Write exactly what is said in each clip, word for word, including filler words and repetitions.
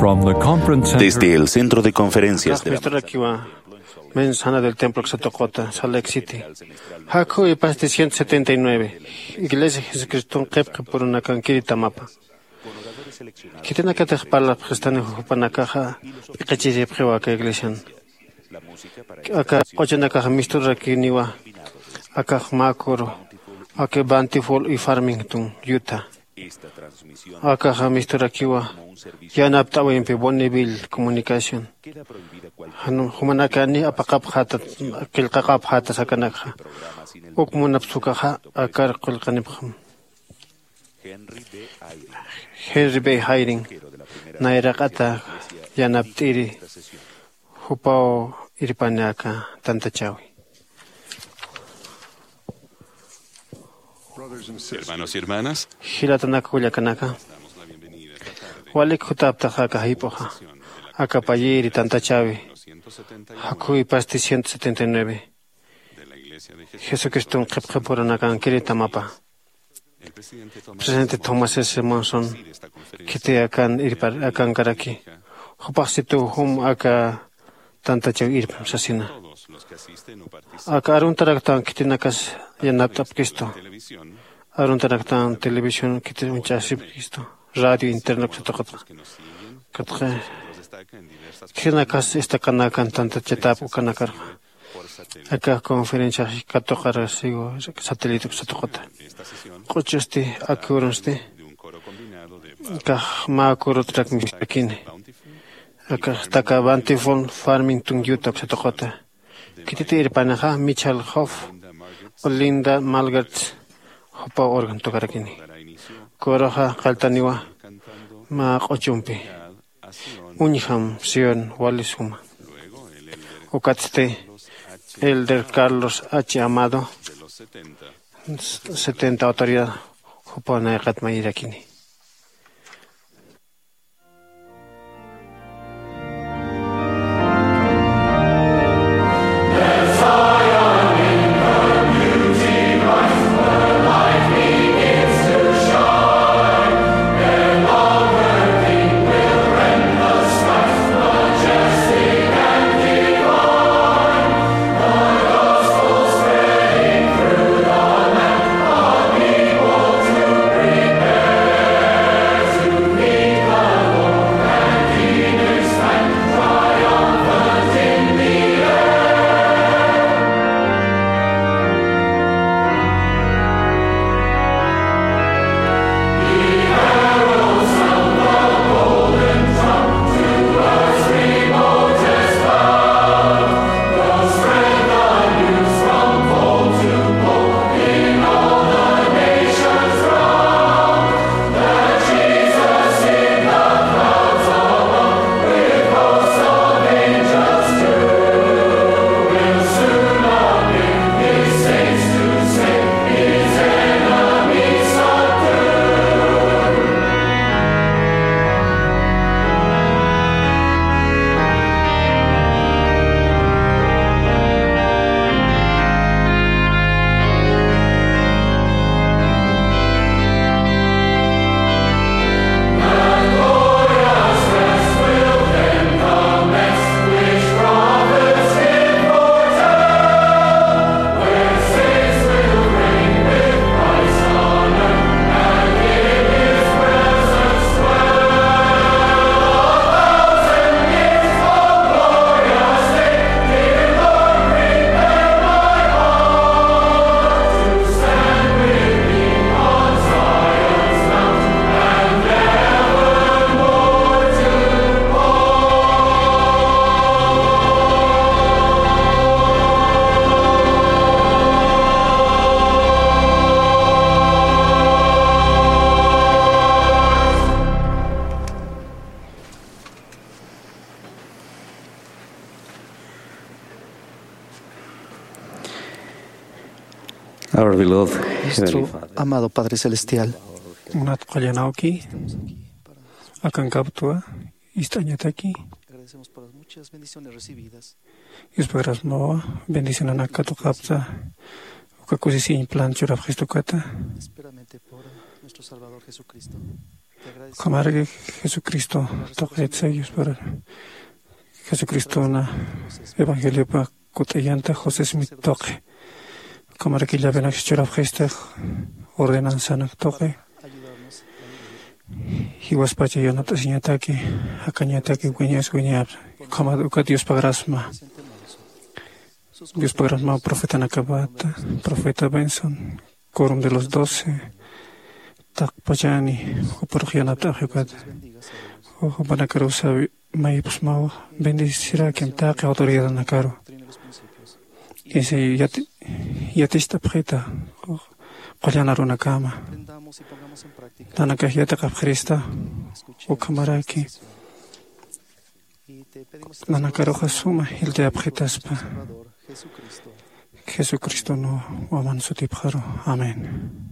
Desde el Centro de Conferencias de la Mensana del Templo Xatoqota, Salt Lake City. Jaku ipasti ciento setenta y nueve. Iglesia Jesucriston qhipqi purunakankiri tamapa. Khitinakatix parlapxistani jupanakaxa p'iqichiripxiwa aka iglesian. Aka q'uchunakaxa misturakiniwa akax mä kuru, aka Bountiful y Farmington, Utah. Akaxa misturakiwa yanapt'awimpi Bonneville Comunicación. Jan jumanakani apaqapxäta, qillqaqapxäta sakanakxa. Uk munapsukaxa akar qullqanipxam. Henry B. Eyring nayraqata yanapt'iri, jupaw irpani aka tantachäwi. Hermanos y hermanas, jilatanaka kullakanaka, walik jutaptaxa aka jayp'uxa, aka payiri tantachäwi, jaku ipasti ciento setenta y nueve. Jesucriston qhipqi purunakankiri tamapa. Presidente Thomas S. Monson khiti akan irpar akankaraki. Jupax situw jum aka tantachäw irpam sasina. Aka aruntaraktan khitinakas yanapt'apkistu. Aruntaraktan televisión khitin uñch'asipkistu. Radio internet satuqata. Katqa khitinakas destacanakan tantachatap ukanakarxa. Aka conferencia katuqarasiwa satélite satuqata. Q'uchusti, aka urunsti, kax mä kurutrak mistakini. Akax taka Bountiful Farmington, Utah satuqata. Khititi irpanixa Michal Hoff, Linda Margartz, jupa organ tukarakini. Kuruxa qalltaniwa mä q'uchumpi. Uñjam Sion wali suma. Ukatsti Elder Carlos H. Amado, setenta autoridad, jupa nayqat mayirakini. Our beloved Heavenly Father. Nuestro amado Padre Celestial. Munat qullanawki, akankaptwa ist'añataki. Agradecemos por las muchas bendiciones recibidas. Yuspagrasmawa bendicionanak katuqapta, uka kusisiñ plan churapxistukata. Enteramente por nuestro Salvador Jesucristo. Ukhamaraki Jesucristo tuqit sayus para Jesucristona evangeliopa kut'ayanta José Smith tuqi. Ukhamaraki llavenak churapxista ordenanzanak tuqi. Jiwaspacha yanapt'asiñataki, jakañataki wiñas wiñaps. Ukhama ukat Diospa grasma. Diospa grasma profetanakapata, profeta Benson, quórum de los doce, taqpachani, jupurux yanapt'axi ukat. Jupanakarusa mayipxsmawa, bendecirakim taqi autoridadanakaru. Isi yati-, yatist'apxita, qullan arunakama. Nanakax yatiqapxirista, ukhamaraki. Nanakaruxa suma jiltayapxitaspa. Jesucristo no waman sutipxaru. Amén.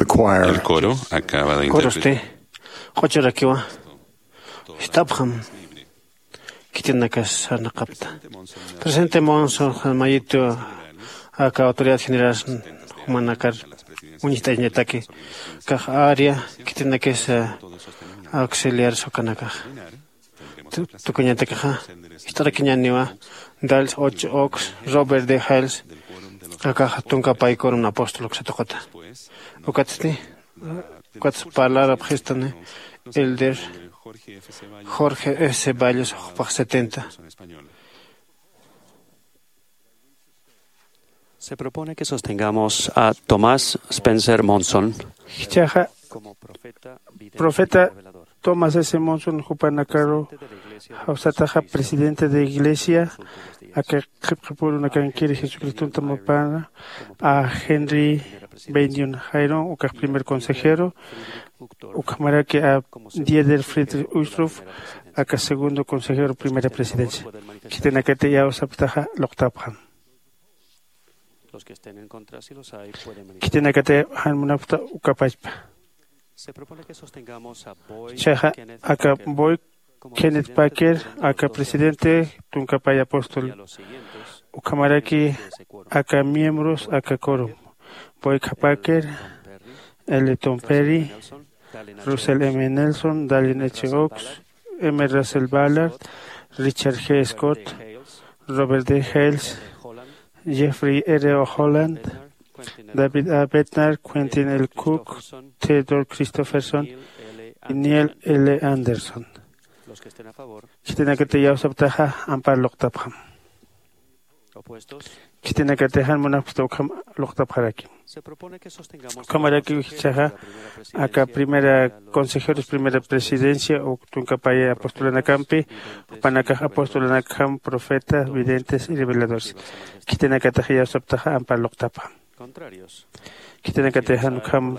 The choir. El coro acaba de interpretar. Corosti q'uchurakiwa. Ist'apxam. Khitinakas sarnaqapta. Presidente Monson, mayitu, aka autoridad general jumanakar uñjt'añataki, kax área khitinakis auxiliar sukanakax. Tu-, tukuñatakixa, ist'arakiñäniwa, Dals Ocho Oaks, Robert D. Hales, akax tunka paykurun apóstol uksa tuquta. Ukatsti, Ukat parlarapxistani Elder Jorge F. Ceballos, jupax setenta. Se propone que sostengamos a Thomas Spencer Monson. Jichhaxa, como profeta, profeta, Thomas S Monson jupanakaru jawsataxa presidente de iglesia aka qhipqipurunakankiri jesucriston tamapana, a Henry Bennion Jairon ukax primer consejero, ukhamaraki a Dieter Friedrich Uchtdorf aka segundo consejero primera presidencia. Khitinakati iyawsaptaxa luqtapxam. Khitinakati jan munapxta ukapachpa. Chaxa aka Boy Kenneth Packer aka presidente tunkapay apóstol, ukhamaraki aka miembros aka corum Boy Packer, L Tom Perry, Russell M Nelson, Dallin H Oaks, M Russell Ballard, Richard G Scott, Robert D Hales, Jeffrey R Holland, David A Bednar, Quentin L Cook, Theodore Christofferson, Neil L Anderson. Khitinakati iyawsaptaxa ampar luqtapxam. Khitinakati jan munapxta ukham luqtapxaraki. Ukhamaraki jichhaxa aka primera consejeros primera presidencia uk tunkapaya apostolanakampi, jupanakax apostolanakham profeta videntes y reveladores. Khitinakatax iyawsaptaxa ampar luqtapxam. Khitinakati jan ukham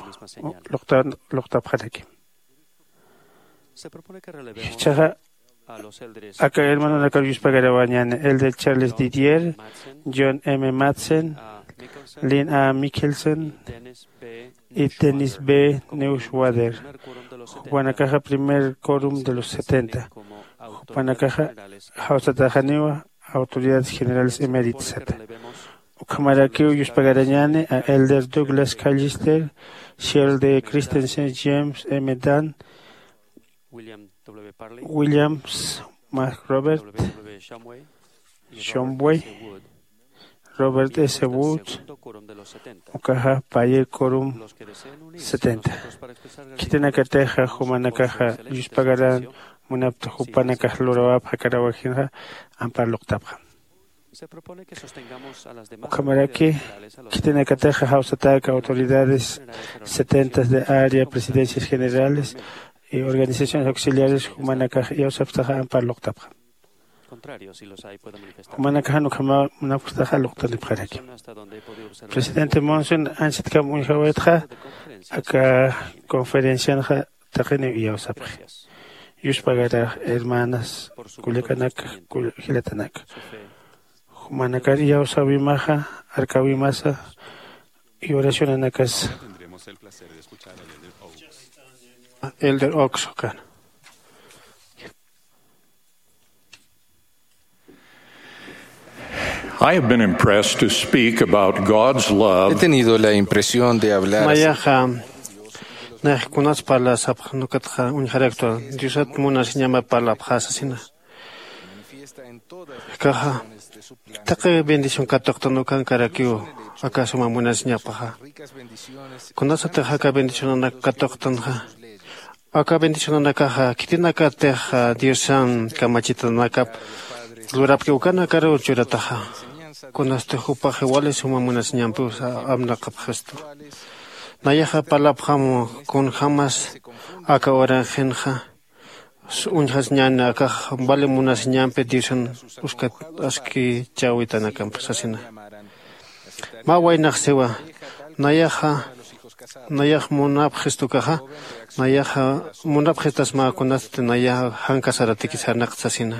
luqtapxaraki. Jichhaxa aka hermanonakar yuspagarawañäni, elder Charles Didier, John M Madsen, Lynn A Mickelson y Dennis B Neuschwader. Jupanakaxa primer corum de los setenta. Jupanakaxa jawsataxaniwa autoridades generales eméritas sata. Ukhamarakiw yuspagarañäni a elder Douglas Callister, Cheryl D Christensen, James M Dunn, Williams Mark Robert, Shumway, Robert S Wood, ukaxa payer corum setenta. Khitinakatixa jumanakaxa yuspagaran munapta jupanakax lurawapxa karawajinxa ampar luqtapxam. Ukhamaraki khitinakataxa jawsatäka autoridades setentas de área presidencias generales y organizaciones auxiliares jumanakax iyawsapxtaxa ampar luqtapxam. Jumanakaxan ukhama munapxtaxa luqtanipxaraki. Presidente Monson ansitkam uñjawaytxa aka conferencianxa taqiniw iyawsapxi. Yuspagarax hermanas kullakanak, jilatanaka, jumanakar iyawsawimaxa, arkawimasa y oracionanakas. Elder Oaks ukan. I have been impressed to speak about God's love. He tenido la impresión de hablar acerca. Nayaxa nayax kunas parlasapxan ukatxa uñjaraktu diosat munasiñama parlapxasasina. Kaxa taqi bendición katuqtan ukankarakiw aka suma munasiñapaxa. Kunasatix aka bendicionanak katuqtanxa, aka bendicionanakaxa khitinakatix diosan kamachitanakap lurapki ukanakaruw churataxa. Kunasti jupaxi wali suma munasiñampiw amnaqapxistu. Nayaxa parlapxam kunjämas aka uranxinxa uñjasiñäni akax wali munasiñampi diosan uskat askichäwitanakampi sasina. Mä waynax siwa, nayaxa nayax munapxistukaxa, nayaxa munapxistasma kunasti nayaxa jan casaratiki sarnaqta sasina.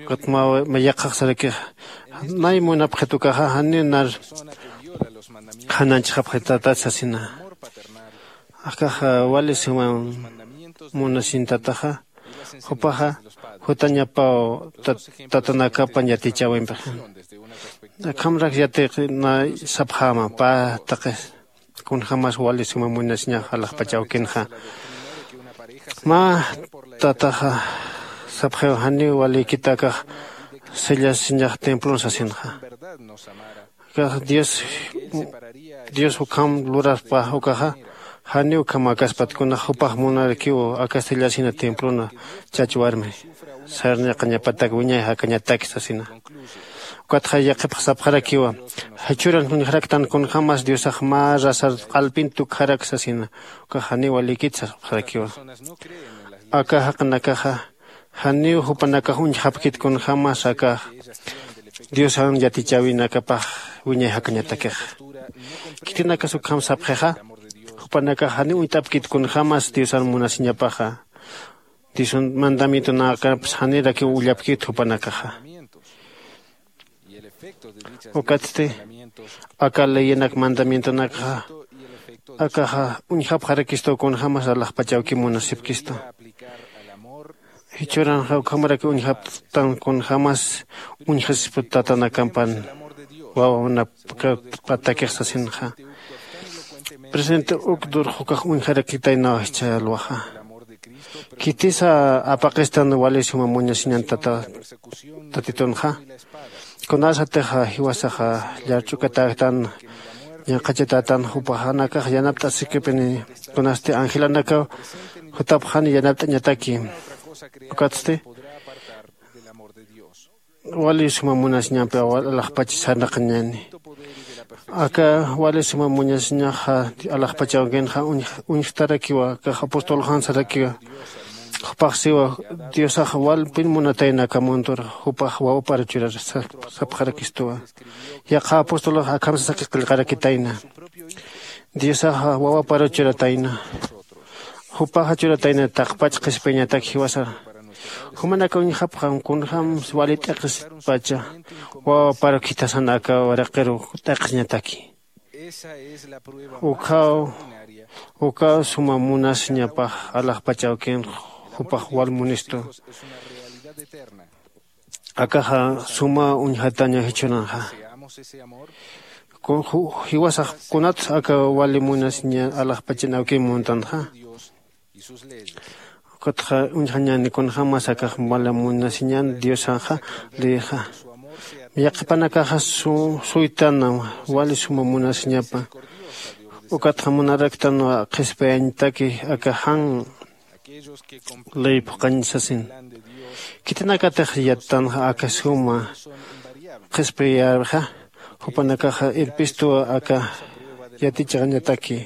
Ukat mä yaqhax sarakixa, nay munapxitukaxa janiw nar jananchixapxitatat sasina. Akaxa wali suma munasintataxa, jupaxa jutañapaw tatanakapan yatichäwimpixin. Akhamrak yatiqi nay sapxäma pä taqi kunjämas wali suma munasiñax alaxpach awkinxa. Mä tataxa sapxiw, janiw walikitakax sillasiñax templon sasinxa. Akax dios dios ukham luraspa ukaxa, janiw ukham akaspat kunax jupax munarakiw aka sillasina templona chach warmi sarnaqañapatak wiñay jakañataki sasina. Ukatxa yaqhipxsapxarakiwa, jichhuran uñjaraktan kunjämas diosax mä rasar q'alpin tukjarak sasina. Ukax janiw walikit sapxarakiwa. Aka jaqinakaxa janiw jupanakax uñjapkit kunjämas aka diosan yatichäwinakapax wiñay jakañatakixa. Khitinakas ukham sapxixa, jupanakax janiw uñt'apkit kunjämas diosan munasiñapaxa. Diosan mandamientonakapas janirakiw ullapkit jupanakaxa. Ukatsti aka leyenak mandamientonakxa akaxa uñjapxarakistu kunjämas alaxpachawki munasipkistu. Jichhuranxa ukhamaraki uñjaptan kunjämas uñjasisputa tatanakampan wawanapkapatakix sasinxa. Presente uk durxukax uñjarakitaynaw jichha alwaxa. Khitisa apaqistan wali suma muñasiñan tata tatitunxa. Kunasatixa jiwasaxa llarch'ukatäktan ñanqhachatätan jupaxanakax yanapt'asikipini. Kunasti angelanakaw jutapxani yanapt'añataki. Ukatsti wali suma munasiñampi alaxpacha sarnaqañäni. Aka wali suma munasiñaxa alaxpachawkinxa uñjtarakiwa akax apostolxan sarakiwa. Jupax siwa, diosax walpin munatayna aka muntur jupax wawapar churar sapxarakistuwa. Yaqha apostolx akham sasaki qillqarakitayna, diosaxa wawapar churatayna. Jupaxa churatayna taqpach qhispiyañatak jiwasar. Jumanaka uñjapxam kunjämsa wali t'iqispacha wawapar khithasan aka waraqiru t'iqisñataki. Ukhaw ukaw suma munasiñapax alaxpachawkin jupax wal munistu. Akaxa suma uñjataña jichhunanxa. Jiwasax kunatsa aka wali munasiña alaxpachanawki muntanxa. Ukatxa uñjañäni kunjämas akax wali munasiñan diosanxa leyixa. Yaqhipanakaxa suytana wali suma munasiñapa. Ukatxa munaraktanwa qhispiyañataki aka jan ley phuqhañ sasin. Khitinakatix yattanxa aka suma qhispiyäwixa jupanakaxa irpistuwa aka yatichixañataki.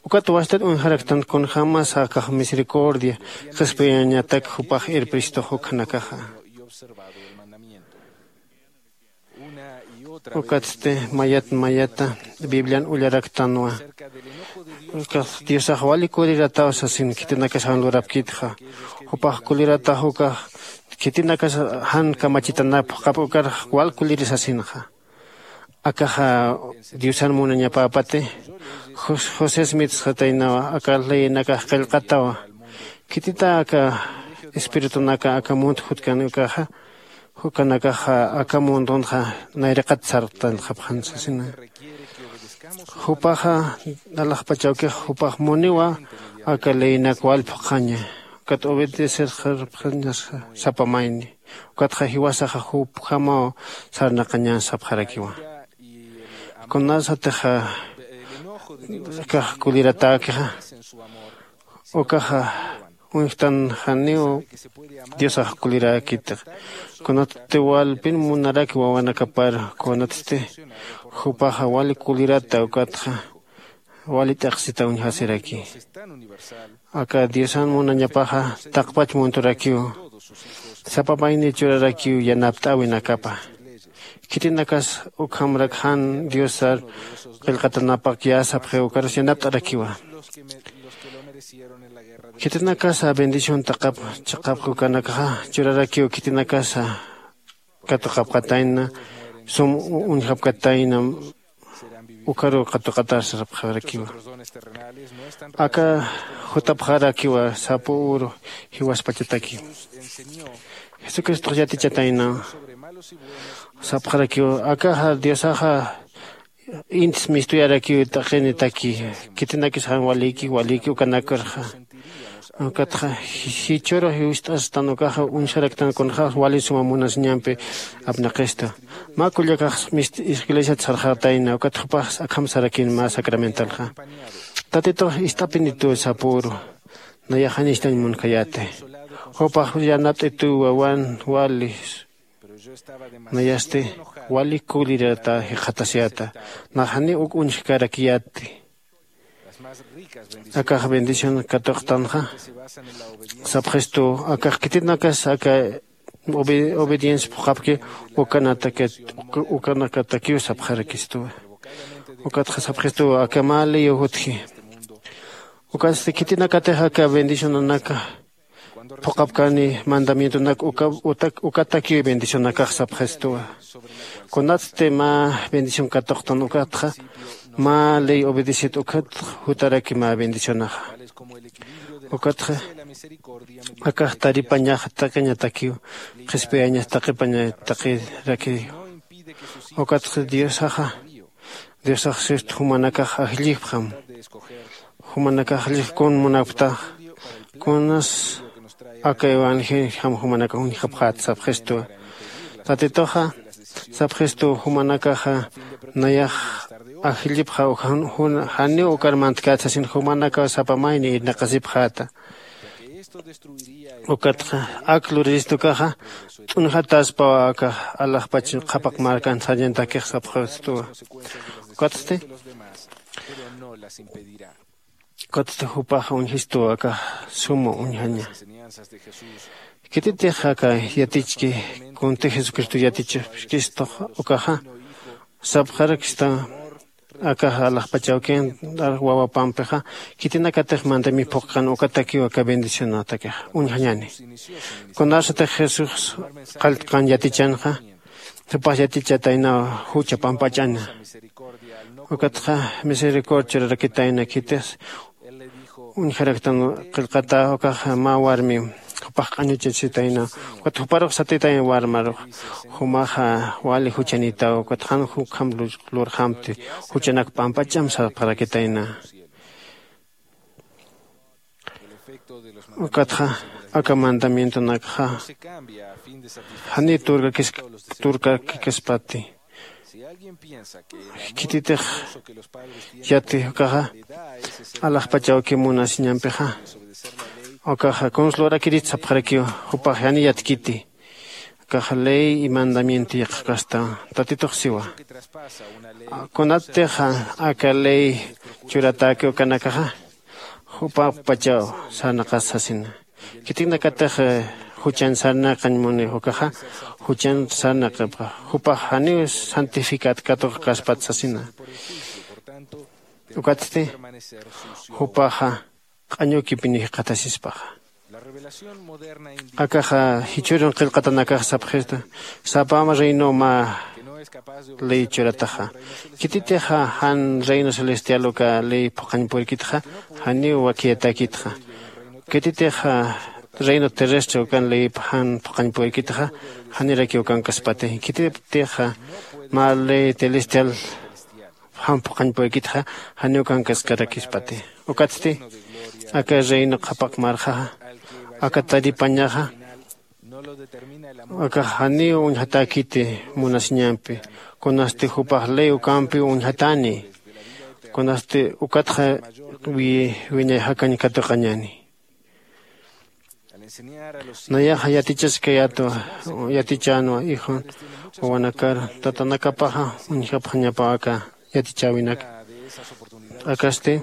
Ukat wastat uñjaraktan kunjämas akax misericordia qhispiyañatak jupax irpistux ukhanakaxa. Ukatsti mayat mayata biblian ullaraktanwa. Ukax diosax wali kulirataw sasin khitinakas jan lurapkitxa. Jupax kuliratax ukax khitinakas jan kamachitanap juqap ukar wal kuliri sasinxa. Akaxa diosan munañapäpati josés mitsxataynawa aka leyenakax qillqatawa. Khitita aka espiritunaka aka munt jutkan ukaxa jukanakaxa aka mundunxa nayraqat sartanxapxan sasina. Jupaxa alaxpachawkix jupax muniwa aka leyinak wal phuqhaña. Ukat obedecer sarpxañasa sapa mayni. Ukatxa jiwasaxa jupjamaw sarnaqañan sapxarakiwa. Kunasatixa akax kuliratäkixa ukaxa uñjtan janiw diosax kuliräkitix. Kunatsti walpin munaraki wawanakapar kunatsti jupaxa wali kulirata ukatxa wali t'iqsita uñjasiraki. Aka diosan munañapaxa taqpach munturakiw sapa mayni churarakiw yanapt'äwinakapa. Khitinakas ukhamrak jan diosar qillqatanapak yäsapxiw ukarus yanapt'arakiwa. Khitinakasa bendición taqap chiqap ukanakaxa churarakiw khitinakasa katuqapkatayna sum uñjapkatayna ukaruw katuqatar sarapxarakiwa. Aka jutapxarakiwa sapu uru jiwaspachataki. Jesucristox yatichatayna sapxarakiwa akaxa diosaxa intis mistuyarakiw t'aqinitaki. Khitinakis jan waliki waliki ukanakarxa ukatxa jichhüru jiwst'astan ukaxa uñjaraktan kunxäx wali suma munasiñampi apnaqista. Mä kullakax iglesiat sarxatayna ukat jupax akham sarakin mä sacramentalxa. Tatitux ist'apinituw sapüru nayax janïstañ munkhayäti. Jupax yanapt'ituw wawan wali Nayasti wali kulirata jikxatasiyata. Naxani uk uñjkarakiyatti. Akax bendición katuqtanxa sapxistu. Akax khitinakas aka obediencia phuqhapki ukanakatakiw sapxarakistuwa. Ukatxa sapxistuwa aka mä liyu jutji. Ukatsti khitinakatix aka bendicionanaka phuqhapkani mandamientonak ukatakiw bendicionakax sapxistuwa. Kunatsti mä bendición katuqtan ukatxa mä ley obedecit ukat jutaraki mä bendicionaxa. Ukatxa akax taripañax taqiñatakiw qhispiyañas taqipaña taqirakiw. Ukatxa diosaxa diosax sist jumanakax ajllixpxam. Jumanakax ajllix kun munapktax kunas aka evangeljam jumanakax uñjapxät sapxistuwa. Tatituxa sapxistuw jumanakaxa nayax ajllipxa janiw ukar mantkät sasin jumanakaw sapa mayni irnaqasipxäta. Ukatxa ak luriristukaxa t'unjataspawa akax alaxpach qhapaq markan sarñantakix sapxistuwa. Ukatsti ukatsti jupaxa uñjistuwa akax suma uñjaña. Khititix aka yatichki kunti jesucristo yatichapkistux ukaxa sapxarakista. Akaxa alaxpachawkin wawapampixa khitinakatix mandami phuqkan ukatakiw aka bendicionatakixa uñjañani. Kunarsatix jesús qalltqan yatichanxa jupax yatichataynaw jucha pampach'ana. Ukatxa misericordia churarakitayna khitix uñjaraktan qillqata ukaxa mä warmi jupax q'añuchachitayna. Ukat juparux satitayna warmarux jumaxa wali juchanitaw ukat jan ukham lurxamti juchanak pampach'am sapxarakitayna. Ukatxa aka mandamientonakxa janiw turkakis turkakikaspati. Khititix yati ukaxa alaxpachawki munasiñampixa ukaxa kuns lurakirist sapxarakiw. Jupax janiw yatkiti. Akax ley y mandamiento yaqhkasta tatitux siwa. Kunattixa aka ley churatäki ukanakaxa jupapachaw sarnaqas sasina. Khitinakatix juchan sarnaqañ muni ukaxa juchan sarnaqipxa jupax janiw santificat katuqkaspat sasina. Ukatsti jupaxa q'añukipini jikxatasispaxa. Akaxa jichhürun qillqatanakax sapxistu sapam reino mä ley churataxa. Khititixa jan reino celestial uka ley phuqhañ purkitxa janiw wakiyatäkitxa. Khititixa reino terrestre ukan ley jan phuqhañ purkitxa janirakiw ukankaspati. Khititixa mä ley celestial jan phuqhañ purkitxa janiw ukankaskarakispati. Ukatsti aka reino qhapaq marxaxa aka taripañaxa akax janiw uñjatäkiti munasiñampi. Kunasti jupax ley ukampiw uñjatäni. Kunasti ukatxa wiñay jakañ katuqañäni. Nayaxa yatichaskayätwa yatichänwa ijun wawanakar tatanakapaxa uñjapxañapaw aka yatichäwinak. Akasti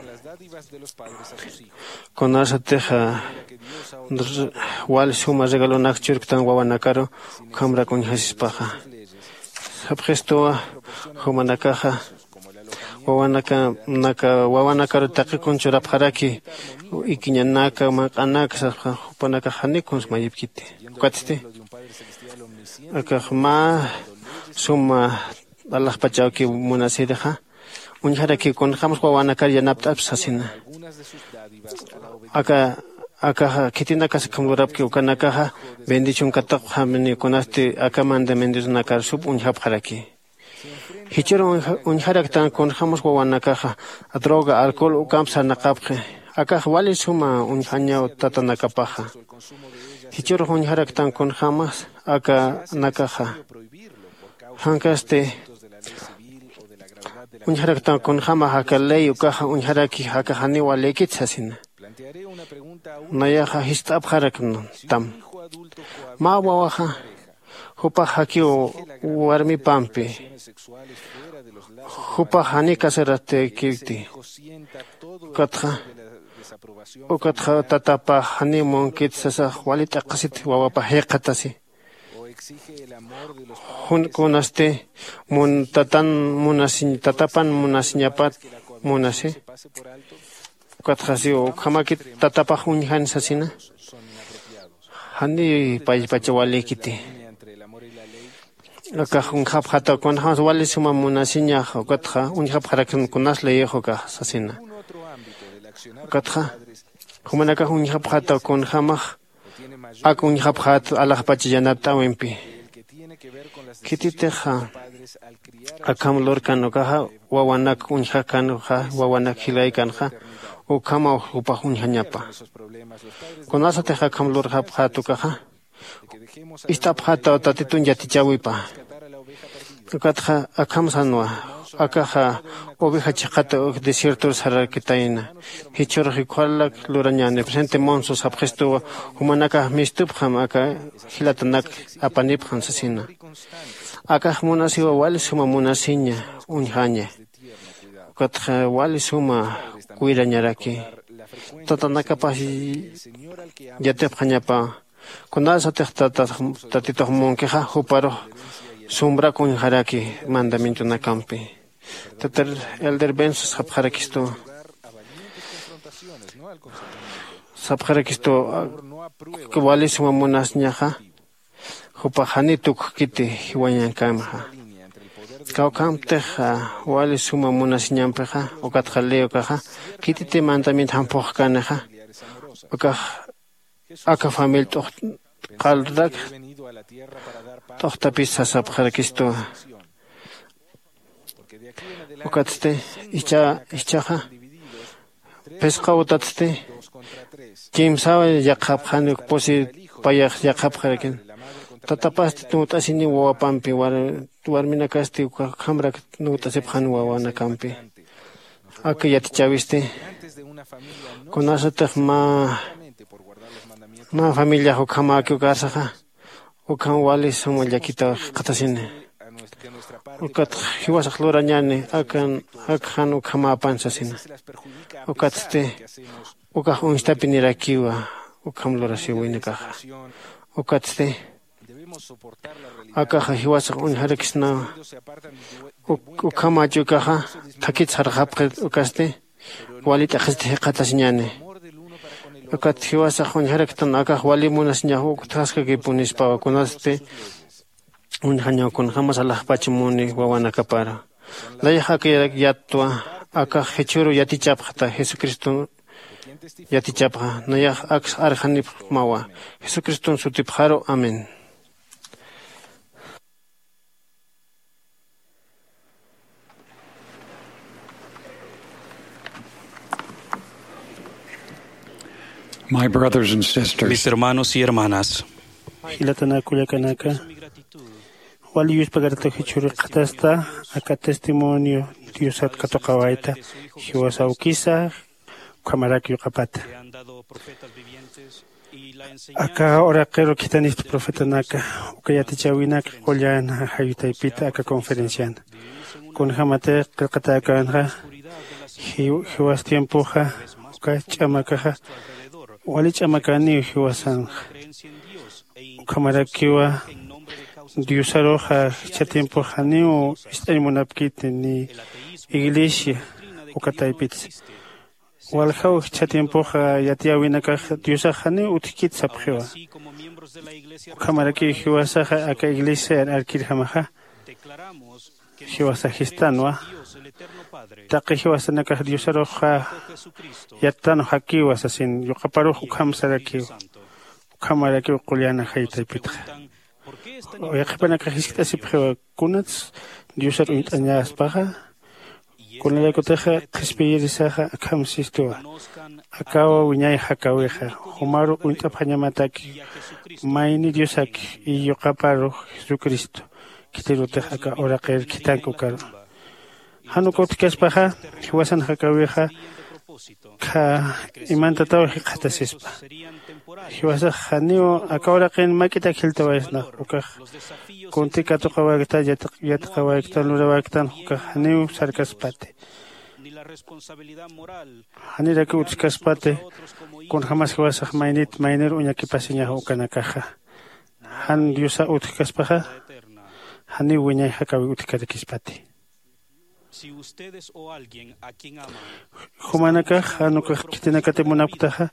kunarsatixa wal suma regalonak churktan wawanakaru ukhamrak uñjasispaxa. Sapxistuwa jumanakaxa wawanaka naka wawanakaru taqi kun churapxaraki ikiñanaka manq'anaka saspa jupanakax janiw kuns mayipkiti. Ukatsti akax mä suma alaxpachawkiw munasirixa uñjarakiw kunjämas wawanakar yanapt'apsa sasina. Aka akaxa khitinakas ukham lurapki ukanakaxa bendición katuqxamini kunasti aka mandamientonakar sup uñjapxaraki. Jichhür uñjaraktan kunjämas wawanakaxa droga alcohol ukamp sarnaqapxi. Akax wali suma uñjañaw tatanakapaxa. Jichhürux uñjaraktan kunjämas akanakaxa jankasti uñjaraktan kunjämax aka ley ukaxa uñjaraki aka janiw walïkit sasina. Nayaxa jist'apxaraktam mä wawaxa Jupax jakiw warmipampi, jupax jani casaratäkiti. Ukatxa ukatxa tatapax jani munkit sasax wali t'aqasit wawapa jayqatasi. Jun kunasti mun tatan munasiñ tatapan munasiñapat munasi. Ukatxasiw ukhamakit tatapax uñjan sasina. Jani paypacha walikiti. Akax uñjapxataw kunjämas wali suma munasiñax ukatxa uñjapxaraktan kunas leyix ukax sasina. Ukatxa jumanakax uñjapxataw kunjämax ak uñjapxät alaxpach yanapt'äwimpi. Khititix akham lurkan ukaxa wawanak uñjakanxa wawanak jilaykanxa ukhamaw jupax uñjañapa. Kunasatix akham lurxapxät ukaxa ist'apxätaw tatitun yatichäwipa. Ukatxa akham sanwa akaxa oveja chiqata uk desiertor sararakitayna. Jichhürux ukharak lurañäni presente monso sapxistuwa. Jumanakax mistupxam aka jilatanak apanipxam sasina. Akax munasiwa wali suma munasiña uñjaña. Ukatxa wali suma cuidañaraki tatanakapax yatipxañapa. Kunasatix tatitux munkixa juparux sumbrak uñjaraki mandamientonakampi. Tatar elder benso sapxarakistu sapxarakistu wali suma munasiñaxa jupax jani tukkiti jiwañankamxa. Kawkhamtix wali suma munasiñampixa ukatxa ley ukaxa khititi mandamiento jamphuxkanixa ukax aka familia t'uqt'qalrak t'uqtapis sasapxarakistuwa. Ukatsti ichha ichhaxa phisqa utatsti kimsaw yaqhapxani uk pusi payax yaqhapxarakin. Tatapasti nuwt'asini wawapampi warminakasti ukhamrak nuwt'asipxani wawanakampi. Aka yatichäwisti kunasatix mä mä familiax ukhamäki ukarsaxa ukham wali suma llakitaw jikxatasini. Ukatx jiwasax lurañäni akan akxan ukhamäpan sasina. Ukatsti ukax uñstapinirakiwa ukham lurasiwinakaxa. Ukatsti akaxa jiwasax uñjarakisnawa. Ukhamach ukaxa thakit sarxapxi ukasti wali t'aqhisti jikxatasiñäni. Ukat jiwasax uñjaraktan akax wali munasiñax uk utjaskakipunispawa kunasti uñjañaw kunjämas alaxpach muni wawanakaparu. Nayax aka yattwa akax jichhüru yatichapxta jesucriston yatichapxa. Nayax aks arjanipxmawa jesucriston sutipxaru. Amén. My brothers and sisters, mis hermanos y hermanas, jilatanaka kullakanaka, wali yuspagaratux jichhürux qhatasta aka testimonio diosat katuqawayta jiwasawkisa ukhamarak yuqapata. Aka uraqiru khithanista profetanaka uka yatichäwinaka qullan jayutaypita aka conferenciana. Kunjämatix qillqatäkänxa jiwas tiempoxa uka ch'amakaxa wali ch'amakaniw jiwasanxa. Ukhamarakiwa diosaruxa jichha tiempoxa janiw ist'añ munapkiti ni iglesia uka taypitsa. Waljaw jichha tiempoxa yatiyäwinakax diosax janiw utjkit sapxiwa. Ukhamarakiw jiwasaxa aka iglesiar arkirjamaxa jiwasax jistanwa. Taqi jiwasanakax diosaruxa yattan jakiwa sasin yuqaparux ukham sarakiw. Ukhamarakiw qullan jaytaypitxa. Yaqhipanakax jiskt'asipxiwa kunats diosar uñt'añaspaxa. Kunalaykutixa qhispiyirisaxa akham sistuwa. Akaw wiñay jakawixa jumaru uñt'apxañamataki mayni diosaki y yuqaparu jesucristo. Khitirutix aka uraqir khithank ukaru jan uk utjkaspaxa jiwasan jakawixa Kha imantataw jikxatasispa. Jiwasax janiw aka uraqin mak'itak jiltawaysnax ukax kunti katuqawaykta yatiqawayktan lurawayktan ukax janiw sarkaspati. Janirakiw utjkaspati. Kunjämas jiwasax maynit maynir uñakipasiñax ukanakaxa jan diosa utjkaspaxa janiw wiñay jakawi utjkarakispati. Jumanakax jan ukax khitinakati munapktaxa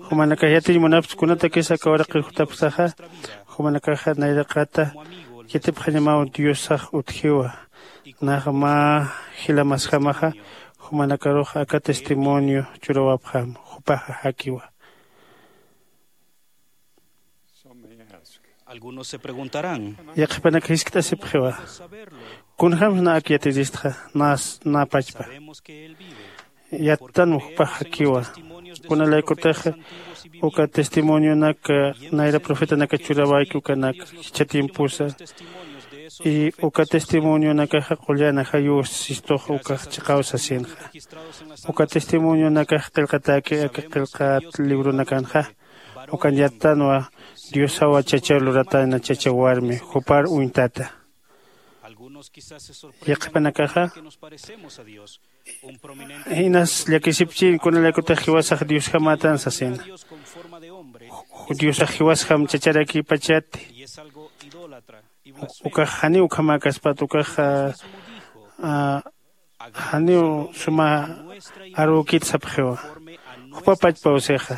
jumanakax yatiñ munapkta kunatakis aka uraqir jutapktaxa jumanakaxa nayraqata yatipxañamaw diosax utjiwa. Nax mä jilamasjamaxa jumanakarux aka testimonio churawapxam jupaxa jakiwa. Yaqhipanak jiskt'asipxiwa kunjämsna ak yatiristxa? Nä pachpa yattanwa jupax jakiwa. Kunalaykutix uka testimonionak nayra profetanaka churawayki ukanak jichha tiemposa y uka testimonionakaxa qullan ajayuw sistux ukax chiqaw sasinxa. Uka testimonionakax qillqatäki aka qillqat libronakanxa ukan yattanwa diosawa chacha luratayna chacha warmi jupar uñtata. Yaqhipanakaxa inas llakisipchin kunalaykutix jiwasax diosjamätan sasina. Diosax jiwasjam chacharakipachati. Ukax janiw ukhamäkaspat ukax janiw suma arükit sapxiwa. Jupa pachpaw sixa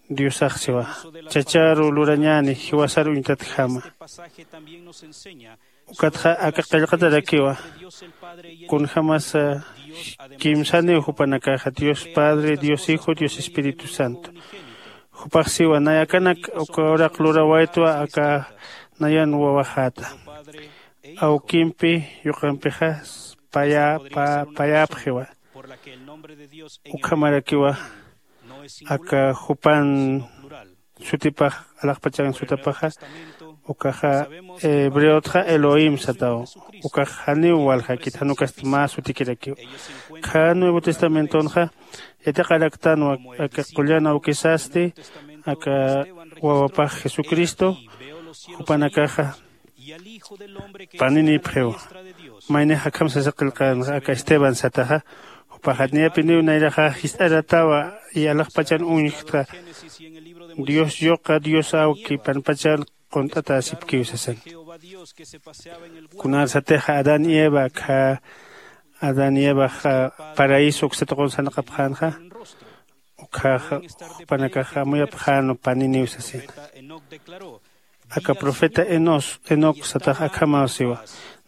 diosax siwa chacharu lurañäni jiwasar uñtatjama. Ukatxa aka qillqatarakiwa kunjämasa kimsaniw jupanakaxa dios padre dios hijo dios espíritu santo. Jupax siwa nayakanak uka uraq lurawaytwa aka nayan wawaxäta awkimpi yuqampixa payäpxiwa. Ukhamarakiwa aka jupan sutipax alaxpachan sutapaxa ukaxa hebreotxa elohim sataw. Ukax janiw waljakit jan ukasti mä sutikirakiw. Kha nuevo testamentonxa yatiqaraktanwa aka qullan awkisasti aka wawapax jesucristo jupanakaxa paninipxiw. Maynix akham sasa qillqänxa aka esteban sataxa jupaxa niyapiniw nayraxa jist'aratawa y alaxpachan uñjkta dios yuqa dios awki panpachan qunt'atäsipkiw sasan. Kunarsatixa adán y eva akha adán y evaxa paraíso uksatuqun sanaqapxänxa ukhaxa jupanakaxa amuyapxänwa paniniw sasina. Aka profeta enos enoc satax akhamaw siwa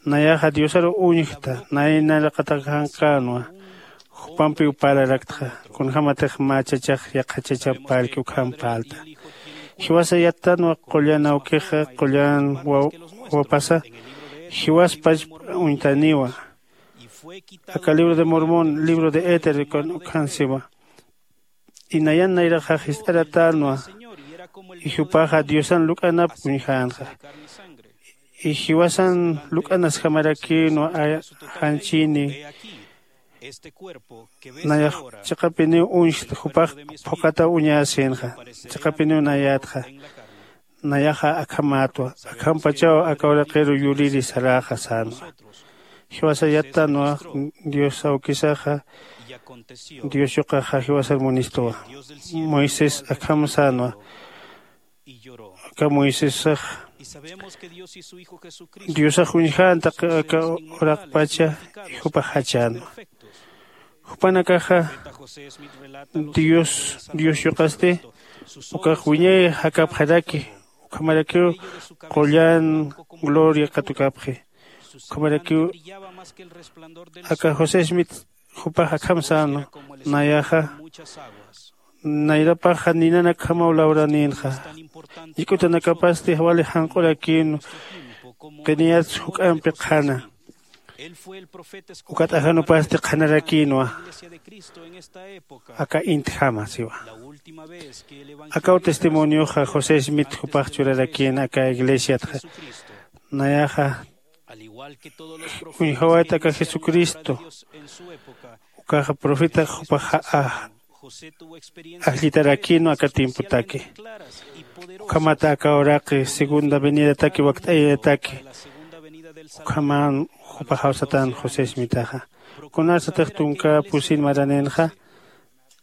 nayaxa diosaru uñjta naynaraqatakanqänwa. Jupampiw parlaraktxa kunjämatix mä chachax yaqha chachap parlki ukham parlta. Jiwasa yattanwa qullan awkixa qullan wawapasa jiwaspach uñtaniwa. Aka libro de mormón libro de éter ukhan siwa inayan nayraxax jist'aratänwa. Jupaxa diosan luk'anap uñjänxa. Jiwasan luk'anasjamarakïnwa janchini. Nayax chiqapiniw uñjta jupax phuqhataw uñäsinxa. Chiqapiniw nayätxa nayaxa akhamätwa. Akhampachaw aka uraqiru yuriri saräxa sänwa. Jiwasa yattanwa dios awkisaxa dios yuqaxa jiwasar munistuwa. Moisés akham sänwa. Aka moisesax diosax uñjänta aka uraqpacha jupax jachänwa. Jupanakaxa dios dios yuqasti ukax wiñay jakapxaraki. Ukhamarakiw qullan gloria katukapxi. Ukhamarakiw aka josé smith jupax akham sänwa. Nayaxa nayrapaxa ninanakjamaw lawranïnxa. Yik'utanakapasti wali janq'urakïnwa. Qiniyats juk'ampi qhana ukat ajanupasti qhanarakïnwa. Aka intjama siwa. Akaw testimonioxa josé smith jupax churarakïn aka iglesiatxa. Nayaxa uñjawayt aka jesucristo ukaxa profetax jupax ajllitarakïnwa aka tiempotaki. Ukhamata aka uraqi segunda venidataki wakt'ayataki ukhaman jupaxaw satan José Smithaxa. Kunarsatix tunka pusin maraninxa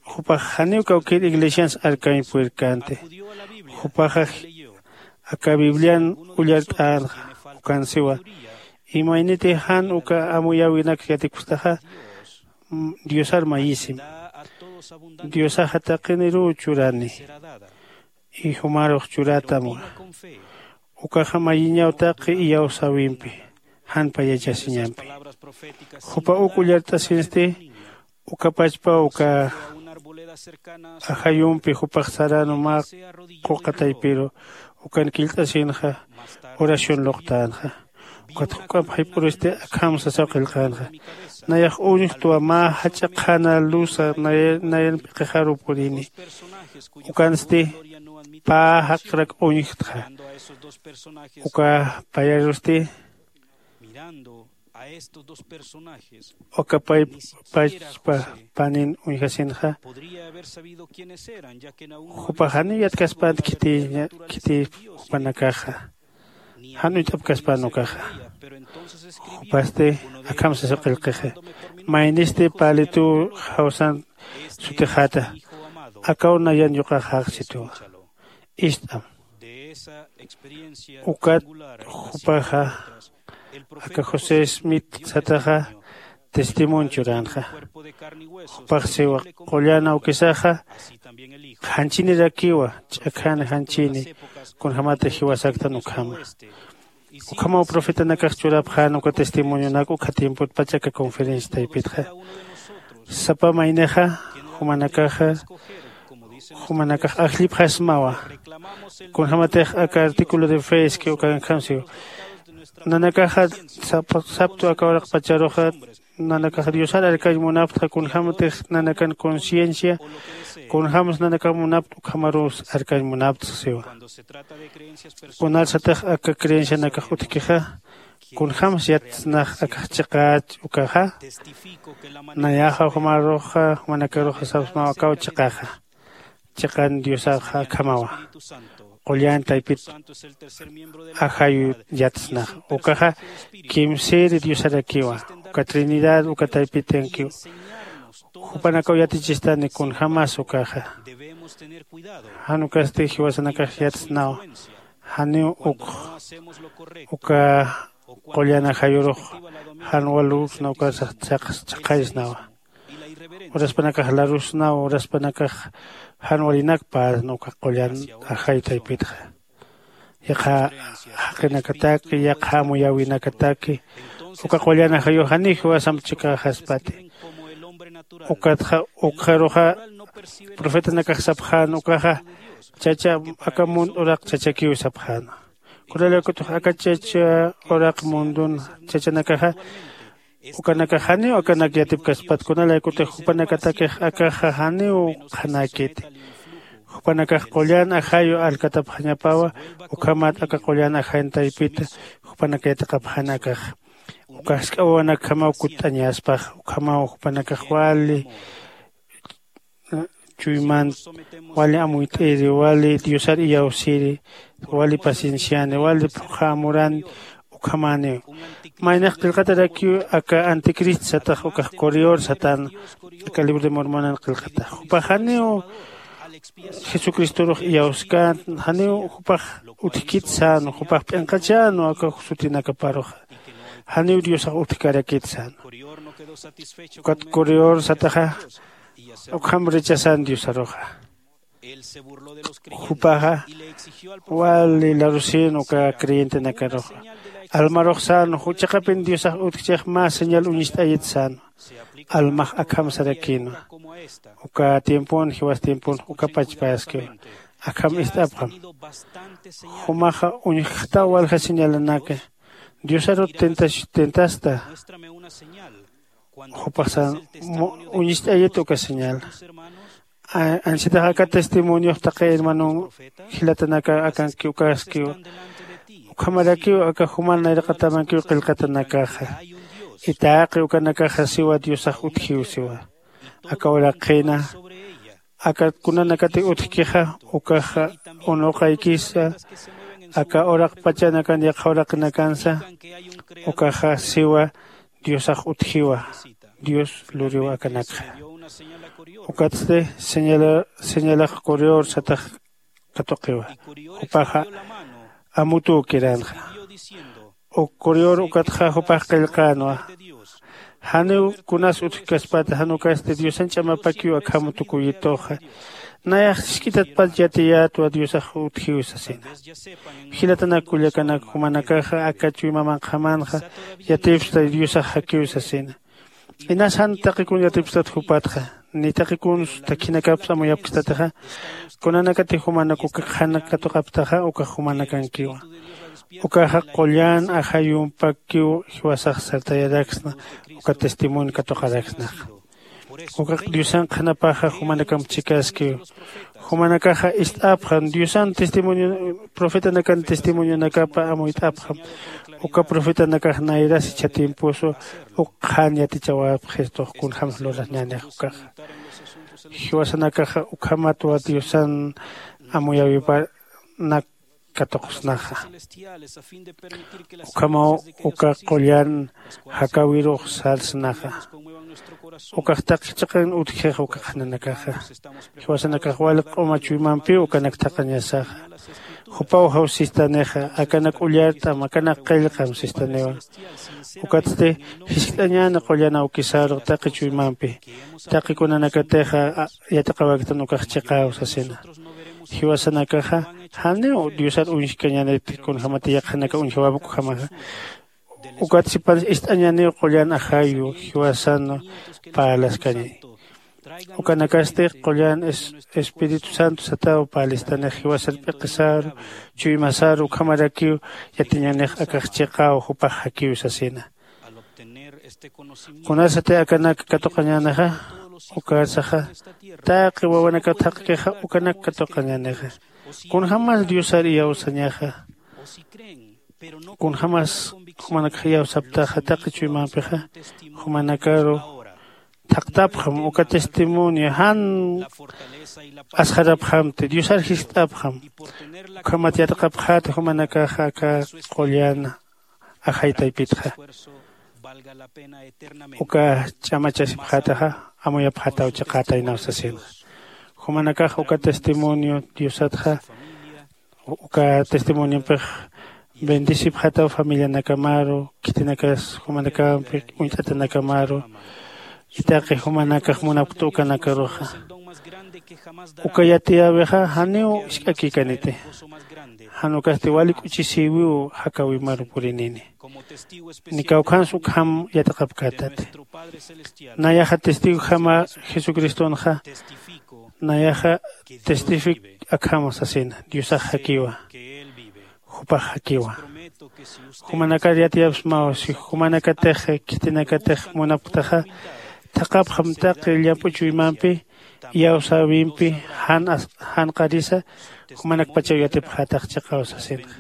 jupax janiw kawkïr iglesians arkañ purirkänti. Jupaxa aka biblian ullart'änxa. Ukan siwa, imayniti jan uka amuyäwinak yatipkstaxa, diosar mayisim. Diosaxa taqiniruw churani. Y jumarux churätamwa. Ukaxa mayiñaw taqi iyawsäwimpi, jan payachasiñampi. Jupa uk ullart'asinsti, uka pachpa uka ajayumpi jupax saränu mä quqa taypiru, ukan killt'asinxa oración luqtänxa. Ukat juk'amp jayp'uristi akham sasaw qillqänxa. Nayax uñjtwa mä jach'a qhana luza nayan p'iqixaru purini. Ukansti pä jaqrak uñjtxa. Uka payarusti uka pay pachpa panin uñjasinxa. Jupax janiw yatkaspänti khiti jupanakaxa. Jan uñt'apkaspän ukaxa. Jupasti akham sasa qillqixa. Maynisti pälituw jawsan sutixäta, akaw nayan yuqaxax situwa. Ist'am. Ukat jupaxa aka josé smith sataxa testimonio churänxa. Jupax siwa, qullan awkisaxa janchinirakiwa, ch'akhan janchini kunjämatix jiwasaktan ukhama. Ukhamaw profetanakax churapxän uka testimonionak ukha tiempotpach aka conferencia taypitxa. Sapa maynixa jumanakaxa jumanakax ajllipxasmawa. Kunjämatix aka artículo de fe iski ukankhamsiw nanakaxa saptu aka uraqpacharuxa nanakax diosar arkañ munaptxa kunjämatix nanakan conciencia kunjämsa nanakax munapta ukhamaruw arkañ munaptxa siwa. Kunalsatix aka creencianakax utjkixa kunjämsa yatsnax akax chiqäch ukaxa. Nayaxa jumaruxa jumanakaruxa sapsmaw akaw chiqaxa. Chiqan diosaxa akhamawa. Qullan taypit ajayu yatsnax ukaxa kimsïri diosarakiwa. Uka trinidad uka taypitankiw jupanakaw yatichistani kunjämas ukaxa. Jan ukasti jiwasanakax yatsnaw janiw ukx uka qullan ajayurux jan walüsna ukasax chhaqaysnawa. Uraspanakax larusnaw uraspanakax jan walinak päsna uka qullan ajay taypitxa. Yaqha jaqinakataki yaqha amuyäwinakataki uka qullan ajayux janiw jiwasamp chikaxaspati. Ukatxa ukxaruxa profetanakax sapxän ukaxa chacha aka munt uraq chachakiw sapxäna. Kunalaykutix aka chacha uraq mundun chachanakaxa ukanakax janiw akanak yatipkaspat kunalaykutix jupanakatakix akaxa janiw qhanäkiti. Jupanakax qullan ajayu alkatapxañapawa. Ukhamat aka qullan ajañ taypita jupanak yatiqapxän akaxa. Uka jask'a wawanakjamaw kutt'añaspax ukhamaw jupanakax wali chuymant wali amuyt'iri wali diosar iyawsiri wali pacienciani wali phuqha amurani. Ukhamäniw maynax qillqatarakiw aka anticristo satax ukax correor satän aka libro de mormonan qillqatax jupax janiw jesucristorux iyawskän janiw jupax utjkit sän jupax p'inqachänwa aka sutinakaparuxa. Janiw diosax utjkarakit sän. Ukat correor sataxa ukham rechazan diosaruxa. Jupaxa wali larusïn uka creyentenakaruxa almarux sän chiqapin diosax utjchix mä señal uñist'ayit sän. Almax akham sarakïnwa. Uka tiempon jiwas tiempon uka pachpaskiwa akham ist'apxam. Jumaxa uñjxtaw walja señalanaka. Diosarut tentasta jupaxsan uñist'ayit uka señal. Ansitax aka testimoniox taqi hermanon jilatanaka akanki ukaskiw ukhamarakiw aka juman nayraqatamankiw qillqatanakaxa. Itaqi ukanakaxa siwa diosax utjiw siwa. Aka uraqhina Aka kunanakati utjkixa ukaxa unuqaykisa aka uraqpachanakan yaqha uraqinakansa ukaxa siwa diosax utjiwa. Dios luriw akanakxa. Ukatsti señalax correor satax katuqiwa. Jupaxa amutuw kiranxa. Uk correor ukatxa jupax qillqänwa. Janiw kunas utjkaspata jan ukasti diosan ch'amapakiw akham tukuyituxa. Nayax jisk'itatpach yatiyätwa diosax utjiw sasina. Jilatanak kullakanak jumanakaxa aka chuyma manqhamanxa yatipsta diosax jakiw sasina. Inas jan taqi kun yatipstat jupatxa ni taqi kuns takhinakapsa amuyapkstatixa. Kunanakati jumanak uka qhana katuqaptaxa ukax jumanakankiwa. Ukaxa qullan ajayumpakiw jiwasax sartayaraksna uka testimonio katuqaraksnaxa. Ukax diosan qhanapaxa jumanakamp chhikaskiw. Jumanakaxa ist'apxam diosan testimonio profetanakan testimonionakapa amuyt'apxam. Uka profetanakax nayras ichha tiemposu uk qhan yatichawapxistux kunjämsa lurañänix ukaxa. Jiwasanakaxa ukhamatwa diosan amuyäwipanak katuqsnaxa. Ukhamaw uka qullan jakäwirux sarsnaxa. Ukax taqi chiqan utjix uka qhananakaxa. Jiwasanakax wali q'uma chuymampiw ukanak thaqañasaxa. Jupaw jaw sistanixa akanak ullart'am akanak qillqam sistaniwa. Ukatsti jiskt'añäni qullan awkisaru taqi chuymampi. Taqi kunanakatixa yatiqawaktan ukax chiqäw sasina. Jiwasanakaxa janiw diosar uñjkañäniti kunjämati yaqhanaka uñjawapkjamaxa. Ukat sipan ist'añäniw qullan ajayu jiwasan parlaskañi. Ukanakasti qullan espíritu santo sataw parlistanix jiwasar p'iqisaru chuymasaru ukhamarakiw yatiñänix akax chiqäw jupax jakiw sasina. Kunasati akanak katuqañänixa ukarsaxa taqi wawanakat jaqkixa ukanak katuqañänixa. Kunjämas diosar iyawsañaxa kunjämas jumanakxa iyawsaptaxa taqi chuymampixa jumanakaru thaqtapxam uka testimonio jan asxarapxamti diosar jiskt'apxam. Ukhamat yatiqapxäti jumanakaxa aka qullan ajay taypitxa. Uka ch'amachasipxätaxa amuyapxätaw chiqätaynaw sasinxa. Jumanakax uka testimonio diosatxa uka testimoniompix bendecipxätaw familianakamaru khitinakas jumanakampi uñt'atanakamaru. Itaqi jumanakax munapkta ukanakaruxa uka yatiyäwixa janiw isk'akikaniti. Jan ukasti wali k'uchisïwiw jakäwimaru purinini. Ni kawkhans ukham yatiqapkätati. Nayaxa testigojama jesucristonxa nayaxa testific akham sasina diosax jakiwa. Jupax jakiwa. Jumanakar yatiyapsmaw si jumanakatix khitinakatix munapktaxa thaqhapxam taqi llamp'u chuymampi iyawsäwimpi jan janqarisa jumanakpachaw yatipxätax chiqaw sasinxa.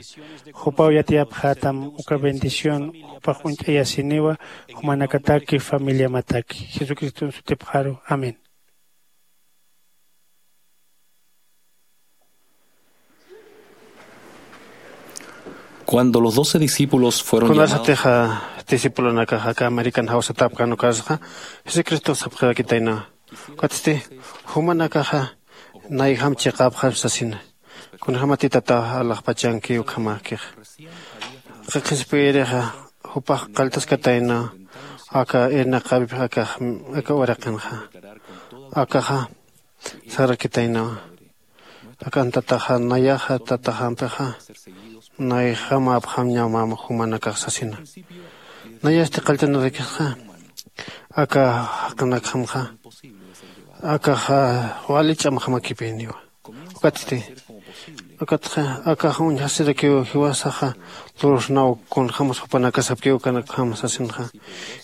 Jupaw yatiyapxätam uka bendición jupax uñt'ayasiniwa jumanakataki familiamataki jesucriston sutipxaru. Amén. Cuando los doce discípulos fueron llamados, kunasatixa discipulonakaxa aka american jawsatapkan ukasxa jesucristox sapxirakitayna. Ukatsti jumanakaxa nayjam chiqapxam sasina. Kunjämatitata alaxpachanki ukhamäkixa qiqhispirixa jupax qalltaskatayna. Aka irnaqäwip aka uraqinxa akaxa sarakitaynawa. Akan tataxa nayaxa tataxampixa nayjam apxam ñamam jumanakax sasina. Nayasti qalltanarakisxa aka jaqinakjamxa akaxa wali ch'amjamakipiniwa. Ukatsti ukatxa akax uñjasirakiw jiwasaxa lursnaw kunjämas jupanakasapkiw ukanakjam sasinxa.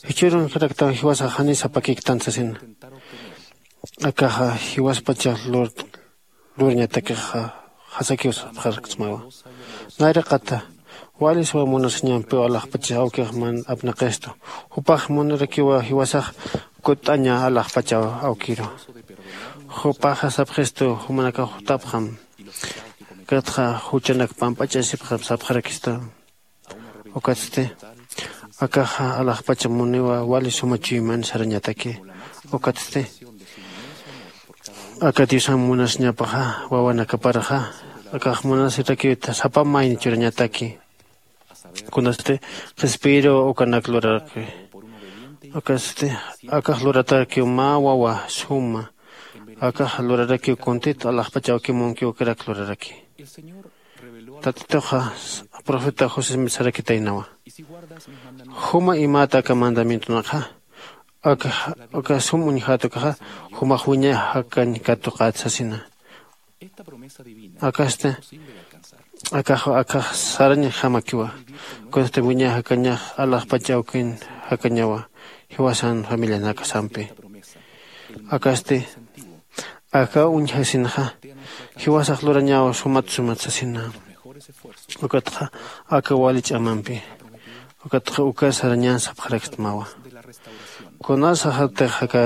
Jichhürunjiraktaw jiwasax janis apakiktan sasina. Akaxa jiwaspachax lurñatakixa jasakiw sapxaraksmawa. Nayraqata wali suwa munasiñampiw alaxpachax awkix man apnaqistu. Jupax munarakiwa jiwasax kutt'aña alaxpachaw awkiru. Jupaxa sapxistu jumanakax jutapxam. Ukatxa juchanak pamp'achasipxam sapxarakistu. Ukatsti akaxa alaxpacha muniwa wali suma chuyman sarañataki. Ukatsti aka diosan munasiñapaxa wawanakaparaxa akax munasirakiwta sapa mayni churañataki. Kunasti qhispiru ukanak luraraki. Ukatsti akax luratakiw mä wawa suma akax lurarakiw kuntit alaxpachawkimunkiw ukarak luraraki. Tatituxa profeta josé mitsarakitaynawa. Juma imata aka mandamientonaxa aka aka sum uñjätukaxa jumax wiñay jakañ katuqät sasina. Akasti akax akax sarañ jamakiwa. Kunasti wiñay jakañax alaxpach awkin jakañawa jiwasan familianakasampi. Akasti aka uñjasinxa jiwasax lurañaw sumat sumat sasina. Ukatxa aka wali ch'amampi ukatxa uka sarañan sapxarakstmawa. Kunasaxatix aka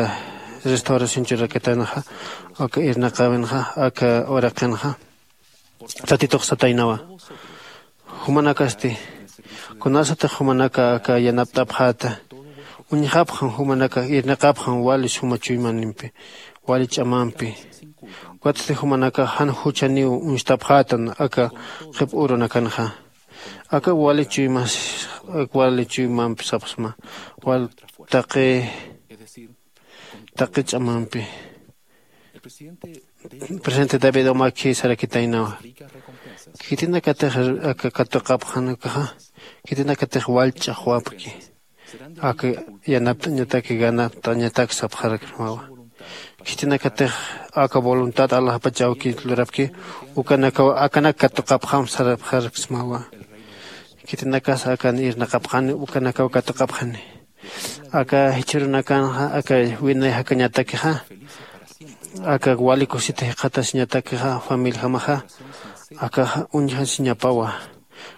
restauración churakitanxa aka irnaqäwinxa aka uraqinxa tatitux sataynawa. Jumanakasti kunasatix jumanaka aka yanapt'apxäta uñjapxam jumanaka irnaqapxam wali suma chuymanimpi wali ch'amampi. Ukatsti jumanaka jan juchaniw uñstapxätan aka qhip urunakanxa aka wali chuymas wali chuymampi sapxsma wal taqi taqi ch'amampi. Presidente david umakhi sarakitaynawa. Khitinakatix aka katuqapxan ukaxa khitinakatix wallch'axwapki aka yanapt'añataki ganapt'añatak sapxarakismawa. Khitinakatix aka voluntad alaxpach awki lurapki ukanakaw akanak katuqapxam sarapxarakismawa. Khitinakas akan irnaqapxani ukanakaw katuqapxani. Aka jichhürunakanxa aka winay jakañatakixa aka wali kusita jikxatasiñatakixa familijamaxa akaxa uñjasiñapawa.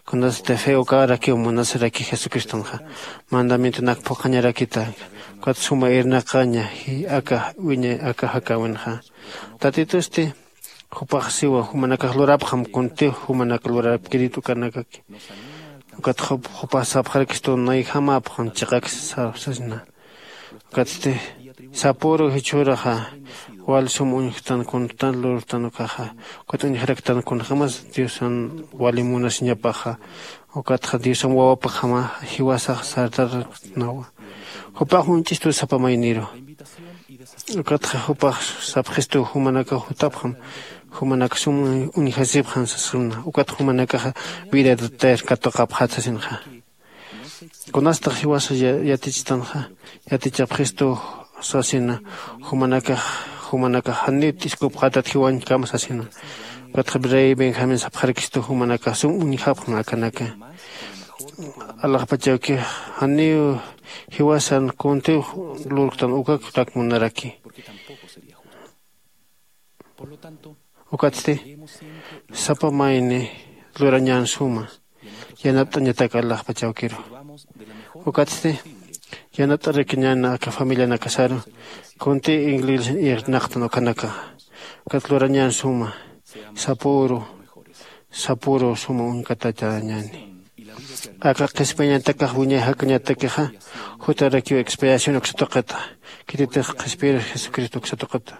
Kunasati fe ukarakiw munasiraki jesucristonxa mandamientonak phuqhañarakita ukat suma irnaqaña aka wiñay aka jakäwinxa. Tatitusti jupax siwa jumanakax lurapxam kuntiw jumanak lurapkirit ukanakaki. Ukat jupax sapxarakistu nayjamapxam chiqak sasna. Ukatsti sapüru jichhüraxa wal sum uñjktan kuntan lurtan ukaxa ukat uñjaraktan kunjämas diosan wali munasiñapaxa ukatxa diosan wawapakjama jiwasax sartaraktnawa. Jupax uñch'istu sapa mayniru ukatxa jupax sapxistu jumanakax jutapxam jumanak sum uñjasipxan sasxna ukat jumanakaxa vida eterna katuqapxat sasinxa. Kunastax jiwasa yatichitanxa yatichapxistu sasina jumanakax jumanakax janiw t'iskupxatat jiwañkama sasina. Ukatxa rey benjamín sapxarakistu jumanakax sum uñjapxan akanaka alaxpachawkix janiw jiwasan kuntiw lurktan ukakrak munaraki. Ukatsti sapa mayni lurañän suma yanapt'añatak alaxpachawkiru. Ukatsti yanapt'arakiñän aka familianakasaru kunti inglés irnaqtan ukanaka ukat lurañän suma sapüru sapüru suma uñkatachañäni. Aka qhispiyañatakax wiñay jakañatakixa jutarakiw expiación uksa tuqita. Khititix qhispiyir jesucristo uksa tuqita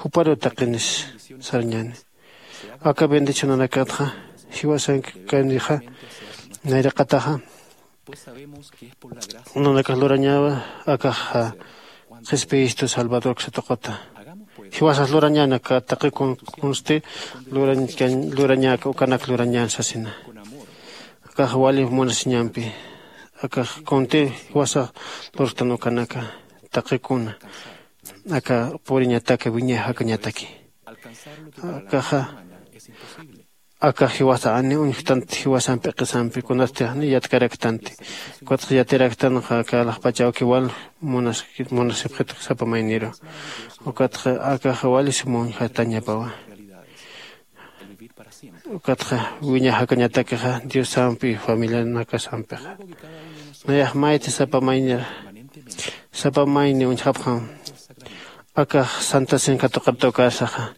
juparu taqinis sarañäni. Aka bendicionanakatxa jiwasankanixa nayraqataxa nanakax lurañawa akax qhispiyistu salvador uksa tuqita. Jiwasax lurañäna aka taqi kunsti lurañäka ukanak lurañän sasina. Akax wali munasiñampi akax kunti jiwasax lurtan ukanaka taqi kuna aka puriñataki wiñay jakañataki. Akaxa aka jiwasa ani uñjktanti jiwasan p'iqisampi kunasti jani yatkaraktanti. Ukatxa yatiraktanxa aka alaxpachawki wal munasipxit sapa mayniru. Ukatxa akaxa wali suma uñjatañapawa. Ukatxa wiñay jakañatakixa diosampi familianakasampixa nayax mayta sapa maynir sapa mayni uñjapxam. Akax santasin katuqapta ukarsaxa.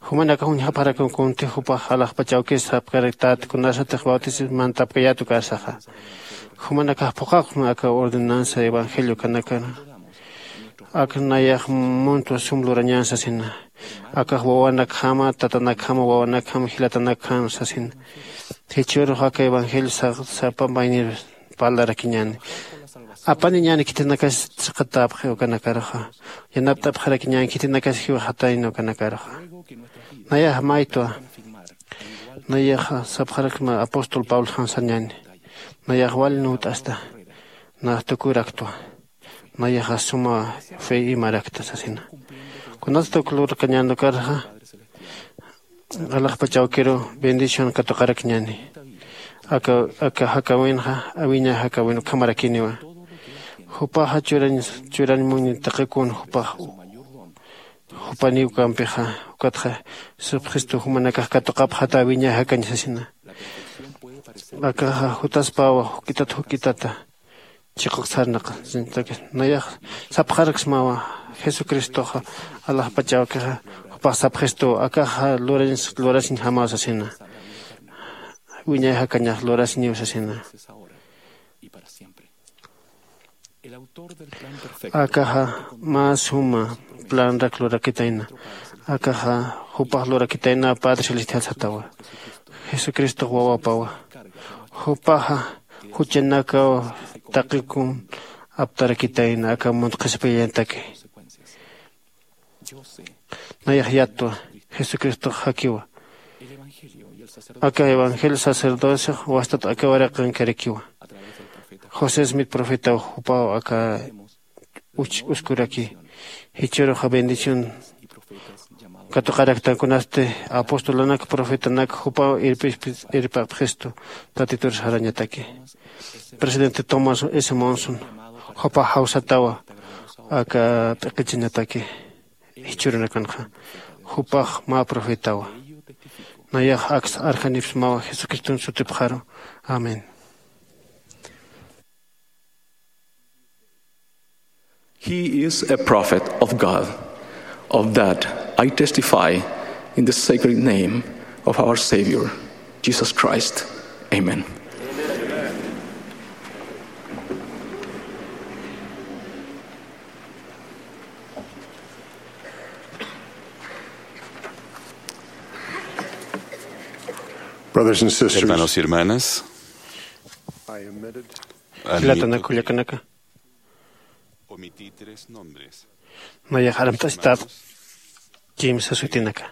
Jumanakax uñjapxarakun kunti jupax alaxpachawkis sapkaraktat kunasatix bautismantapkayat ukarsaxa. Jumanakax phuqaqma aka ordenanza evangelio kanakana. Ak nayax muntwa sum lurañan sasina. Akax wawanakjama tatanakjama wawanakjama jilatanakjama sasina. Jichhürux aka evangelio sapa maynir parlarakiñäni. Apaniñäni khitinakas chiqatäpxi ukanakaruxa. Yanapt'apxarakiñäni khitinakas jiwxatayna ukanakaruxa. Nayax maytwa. Nayaxa sapxarakma apóstol pabloxan sañäni. Nayax wali nuwt'asta. Nax tukuraktwa. Nayaxa suma fe imarakta sasina. Kunastuk lurkañäni ukarxa. Alaxpachawkiru bendición katuqarakñäni. Aka aka jakawinxa awiña jakawin ukhamarakiniwa. Jupaxa churañ churañ muñi taqikun jupax jupaniw kampixa. Ukatxa sipxistu jumanakax katuqapxata awiña jakañ sasina. Akaxa jutaspawa juk'itat juk'itata chiquk sarnaq. Nayax sapxaraksmawa jesucristoxa alaxpachawkixa jupax sapxistuw akaxa lurañs lurasiñjamaw sasina. Wiñay jakañax lurasiñiw sasina. Akaxa mä suma planrak lurakitayna. Akaxa jupax lurakitayna padre celestial satawa. Jesucristox wawapawa. Jupaxa juchanakaw taqikun aptarakitayna aka munt qhispiyañataki. Nayax yattwa jesucristox jakiwa. Aka evangelio sacerdociox wastat aka waraqankarakiwa. José smith profetaw jupaw aka uskuraki. Jichhüruxa bendición katuqaraktankunasti apostolanak profetanak jupaw irpapxistu tatitur sarañataki. Presidente tomás s monson jupax jawsatawa aka p'iqichañataki. Jichhürunakanxa jupax mä profetawa. Nayax aks arjanipsmawa jesucriston sutipxaru. Amén. He is a prophet of God. Of that I testify in the sacred name of our Savior, Jesus Christ. Amen. Brothers and sisters, hermanos y hermanas, I omití tres nombres. Nayax armt'asitat kimsa sutinaka.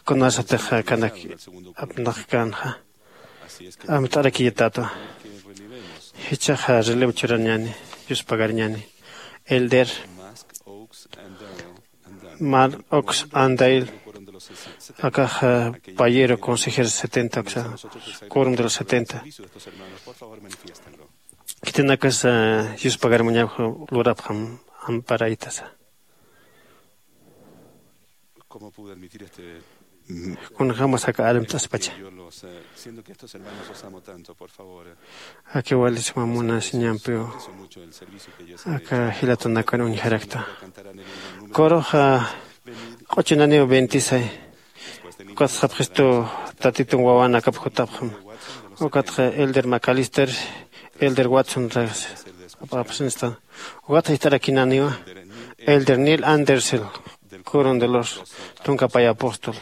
Kunasatix kanak apnaqkänxa amt'arakiyatätwa. Jichhaxa relevo churañäni yuspagarñäni. Elder Mark Oaks Andail. Akaxa payero consejero setenta aksa quorum de los setenta. Khitinakas yuspagarmañaw lurapxam amparaytasa. Kunjamas aka armt'aspacha. Aka walisma munasiñampiw aka jilatanakan uñjarakta. Kuruxa q'uchunaniw bentisay. Ukatxa sapxistu tatitun wawanakap jutapxam. Ukatxa elder macalister, elder watson apxapxsinsta. Ukatxa ist'arakinaniwa elder neil andersel, kuron de los tunkapay apóstol.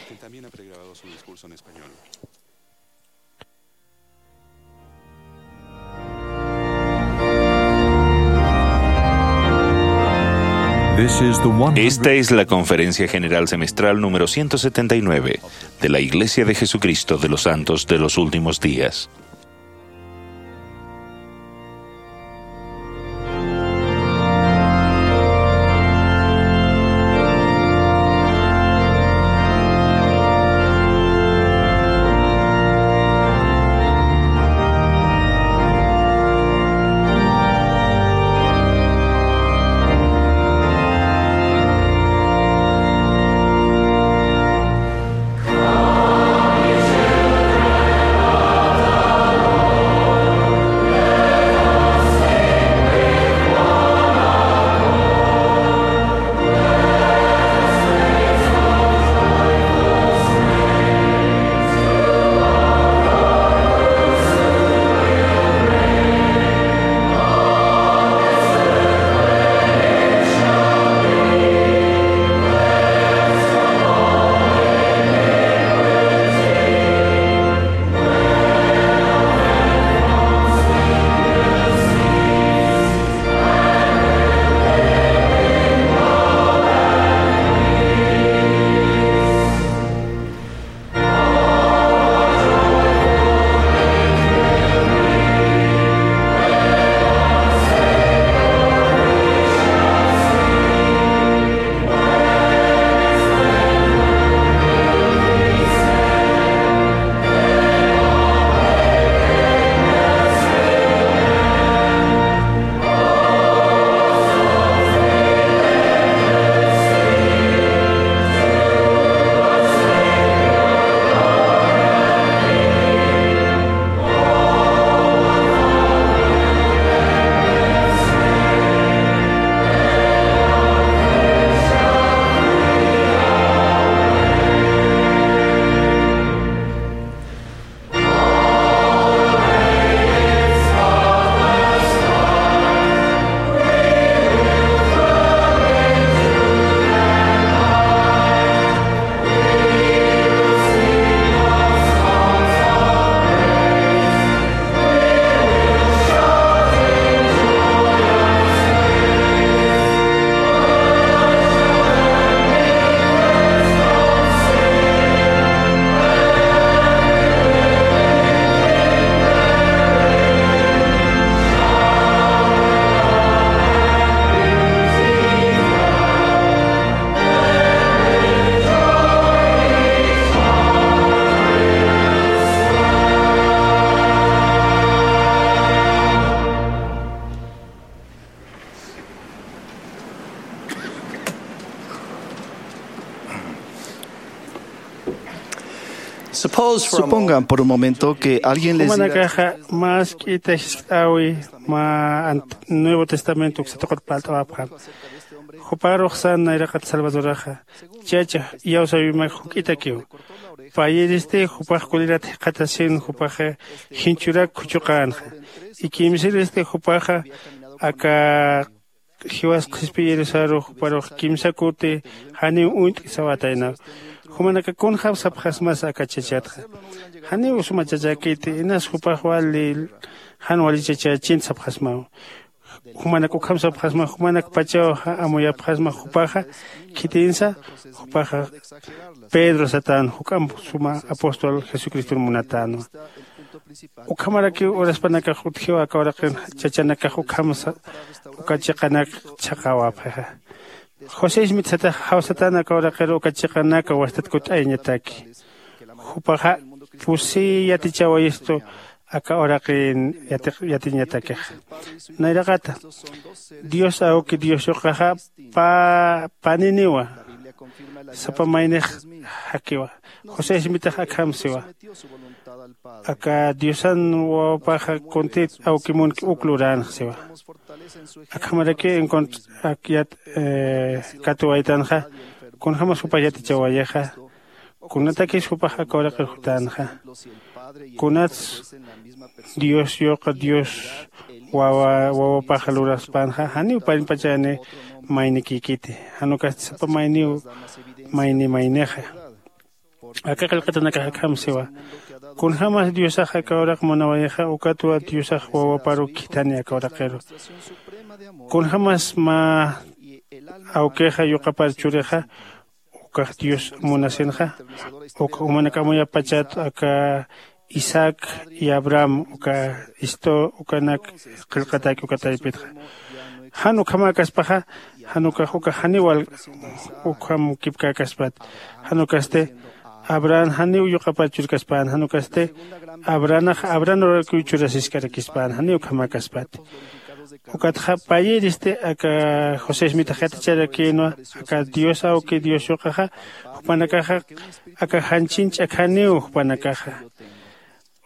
Esta es la Conferencia General Semestral número ciento setenta y nueve de la Iglesia de Jesucristo de los Santos de los Últimos Días. Supongan por un momento que alguien les diga, jumanakaxa mask'ita jiskt'äwi mä Ant- Nuevo Testamento uksa tuqut palt'awapxam. Juparux san nayraqat Salvadoraxa, chacha, iyawsäwimak juk'itakiw. Payïristi jupax kulirat jikxatasin, jupaxa jinchurak khuchuqänxa. Y kimsïristi jupaxa aka jiwas qhispiyirisaru juparux kimsa kuti janiw uñt'ki sawataynaw. Jumanaka kunjäm sapxasmasa aka chachatxa? Janiw suma chachäkiti, inas jupax wali jan wali chachächint sapxasmaw. Jumanak ukham sapxasma, jumanakpachaw amuyapxasma jupaxa, khitinsa jupaxa Pedro satän, juk'amp suma apóstol Jesucriston munatänwa. Ukhamarakiw uraspanakax utjiw aka uraqin chachanakax ukham sa- uka chiqanak chhaqawapxixa. José Smith satax jawsatän aka uraqir uka chiqanak wastat kutt'ayañataki. Jupaxa pusi yatichawayistu aka uraqin yatiq- yatiñatakixa. Nayraqata Dios awki Dios yuqaxa pa- paniniwa, sapa maynix jakiwa. José Smitax akham siwa, aka Diosan wawapaxa kuntit awki munki uk luränx siwa. Akhamaraki encontr- ak- yat- eh, katuwaytanxa, kunjämas jupax yatichawayixa, kunatakis jupax aka uraqir jutänxa, kunats Dios yuqa Dios wawa wawapaxa luraspänxa, janiw panimpachani maynikïkiti, jan ukasti sapa mayniw mayni maynixa. Aka qillqatanakax akham siwa, kunjämas Diosax aka uraq munawayixa, ukatwa Diosax wawaparu khithani aka uraqiru. Kunjämas mä awkixa yuqapar churixa, ukax Dios munasinxa, uk jumanak amuyapachat aka Isaac y Abraham, uka istu ukanak qillqatäki uka taypitxa. Jan ukhamäkaspaxa, jan ukax ukax janiw wal ukham kipkäkaspat. Jan ukasti Abraham janiw yuqapar churkaspän, jan ukasti Abrahanax Abraham urakiw churasiskarakispan, janiw ukhamäkaspat. Ukatxa payïristi aka José Smitax yaticharakïnwa, aka Dios awki Dios yuqaxa, jupanakaxa aka janchin ch'akhaniw jupanakaxa.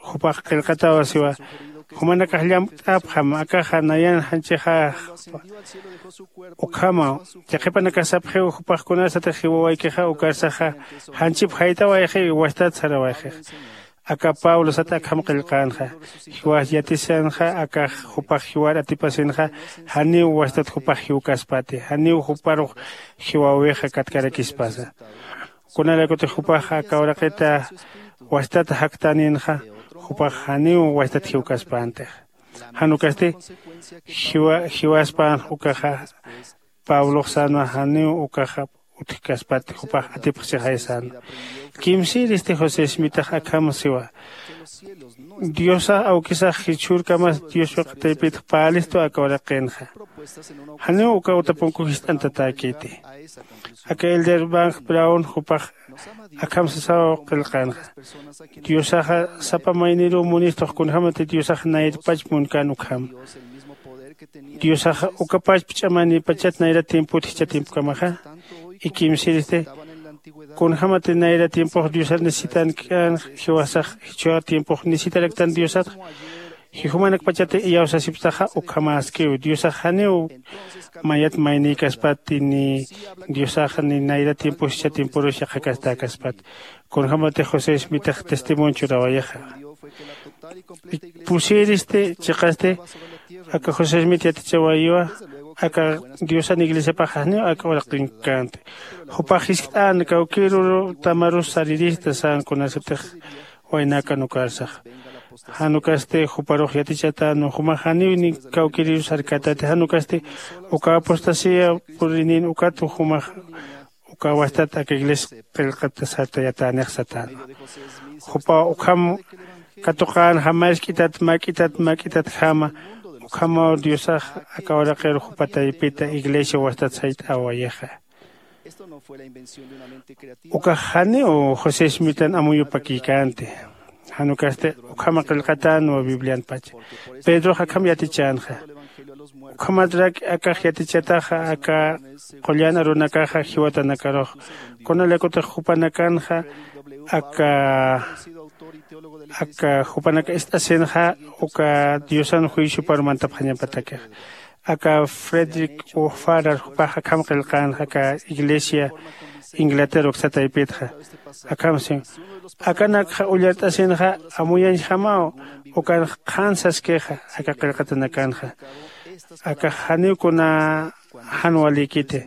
Jupax qillqatawa siwa, jumanakax llamt'apxam, akaxa nayan janchixa. Ukhamaw, chiqipanakax sapxiw, jupax kunasatix jiwawaykixa ukarsaxa janchip jaytawayxi, wastat sarawayxix. Aka Pablo sat akham qillqänxa, jiwas yatisanxa akax jupax jiwar atipasinxa, janiw wastat jupax jiwkaspati, janiw juparux jiwäwixa katkarakispasa. Kunalaykutix jupax aka uraqita wastat jaktäninxa, jupax janiw wastat jiwkaspäntix. Jan ukasti jiwa- jiwaspän ukaxa, Pablox sänwa janiw ukaxa utjkaspati, jupax atipxchixay sänwa. Kimsïristi José Smitax akham siwa, Diosax awkisax jichhürkamas Dios yuqa taypit parlistu aka uraqinxa. Janiw uka utapunku jist'antatäkiti. Aka Elder Van Brown jupax akham sasaw qillqänxa, Diosaxa sapa mayniruw munistux, kunjämati Diosax nayrpach munkän ukham. Diosaxa ukapach ch'amanïpachat nayra tiempot jichha tiempokamaxa. Y kimsïristi, kunjämati nayra tiempox Diosar necesitankän, jiwasax jichha tiempox necesitaraktan Diosatxa. Jumanakpachati iyawsasipktaxa ukhamäskiw, Diosax janiw mayat maynïkaspati, ni Diosax ni nayra tiempo jichha tiemporus yaqhakastäkaspat. Kunjämatix José Smitax testimonio churawayixa. Pusïristi chiqasti aka José Smith yatichawayiwa, aka Diosan iglesiapax janiw aka uraqin känti. Jupax jiskt'än, kawkïrur tamarus sarirista sän kunasatix waynäkan ukarsax. Jan ukasti juparux yatichätänwa, jumax janiw ni kawkïrirus sarkätäti, jan ukasti uka apostasía purïnin ukat jumax uka wastat aka iglesia qillqat sartayatänix satänwa. Jupaw ukham katuqänxa, mask'itat, mak'itat, mak'itatkama, ukhamaw Diosax aka uraqir jupa taypita iglesia wastat sayt'awayixa. Ukax janiw José Smithan amuyupakïkänti. Jan ukasti ukhama qillqatänwa Biblianpacha. Pedrox akham yatichänxa. Ukhamatrak akax yatichataxa aka qullan arunakaxa jiwatanakarux. Kunalaykutix jupanakanxa aka aka jupanak ist'asinxa uka diosan juiciopar mantapxañapatakixa. Aka frederick ufarar jupax akham qillqänxa aka iglesia inglaterra uksataypitxa. Akham siwa akanakxa ullart'asinxa amuyañjamaw ukan qhan saskixa aka qillqatanakanxa. Akax janiw kuna jan walïkiti.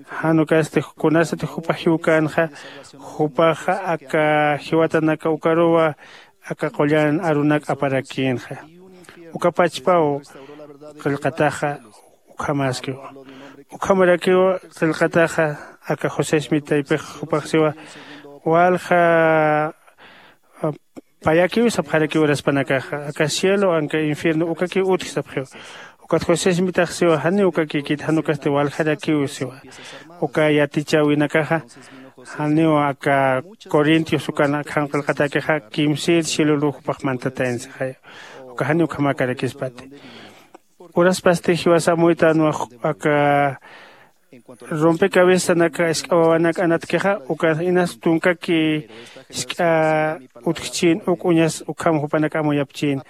Jan ukasti kunasati jupa jiwkänxa jupaxa aka jiwatanaka ukaruwa aka qullan arunak aparakïnxa. Uka pachpaw qillqataxa ukhamaskiw. Ukhamarakiw qillqataxa aka josé smith taypix jupax siwa walja payakiw sapxarakiw uraspanakaxa aka cielo anka infierno ukakiw utji sapxiw. Ukat josé smitax siwa janiw ukakïkiti jan ukasti waljarakiw siwa. Uka yatichäwinakaxa janiw aka corintios ukan akhan qillqatakixa kimsïr cieloluw jupax mantatayna sixaya. Uka janiw ukhamäkarakispati. Uraspasti jiwasa amuytänwa aka rompecabezanaka isk'a wawanak anatkixa uka inas tunkaki isk'a utjchïn uk uñas ukham jupanak amuyapchïn.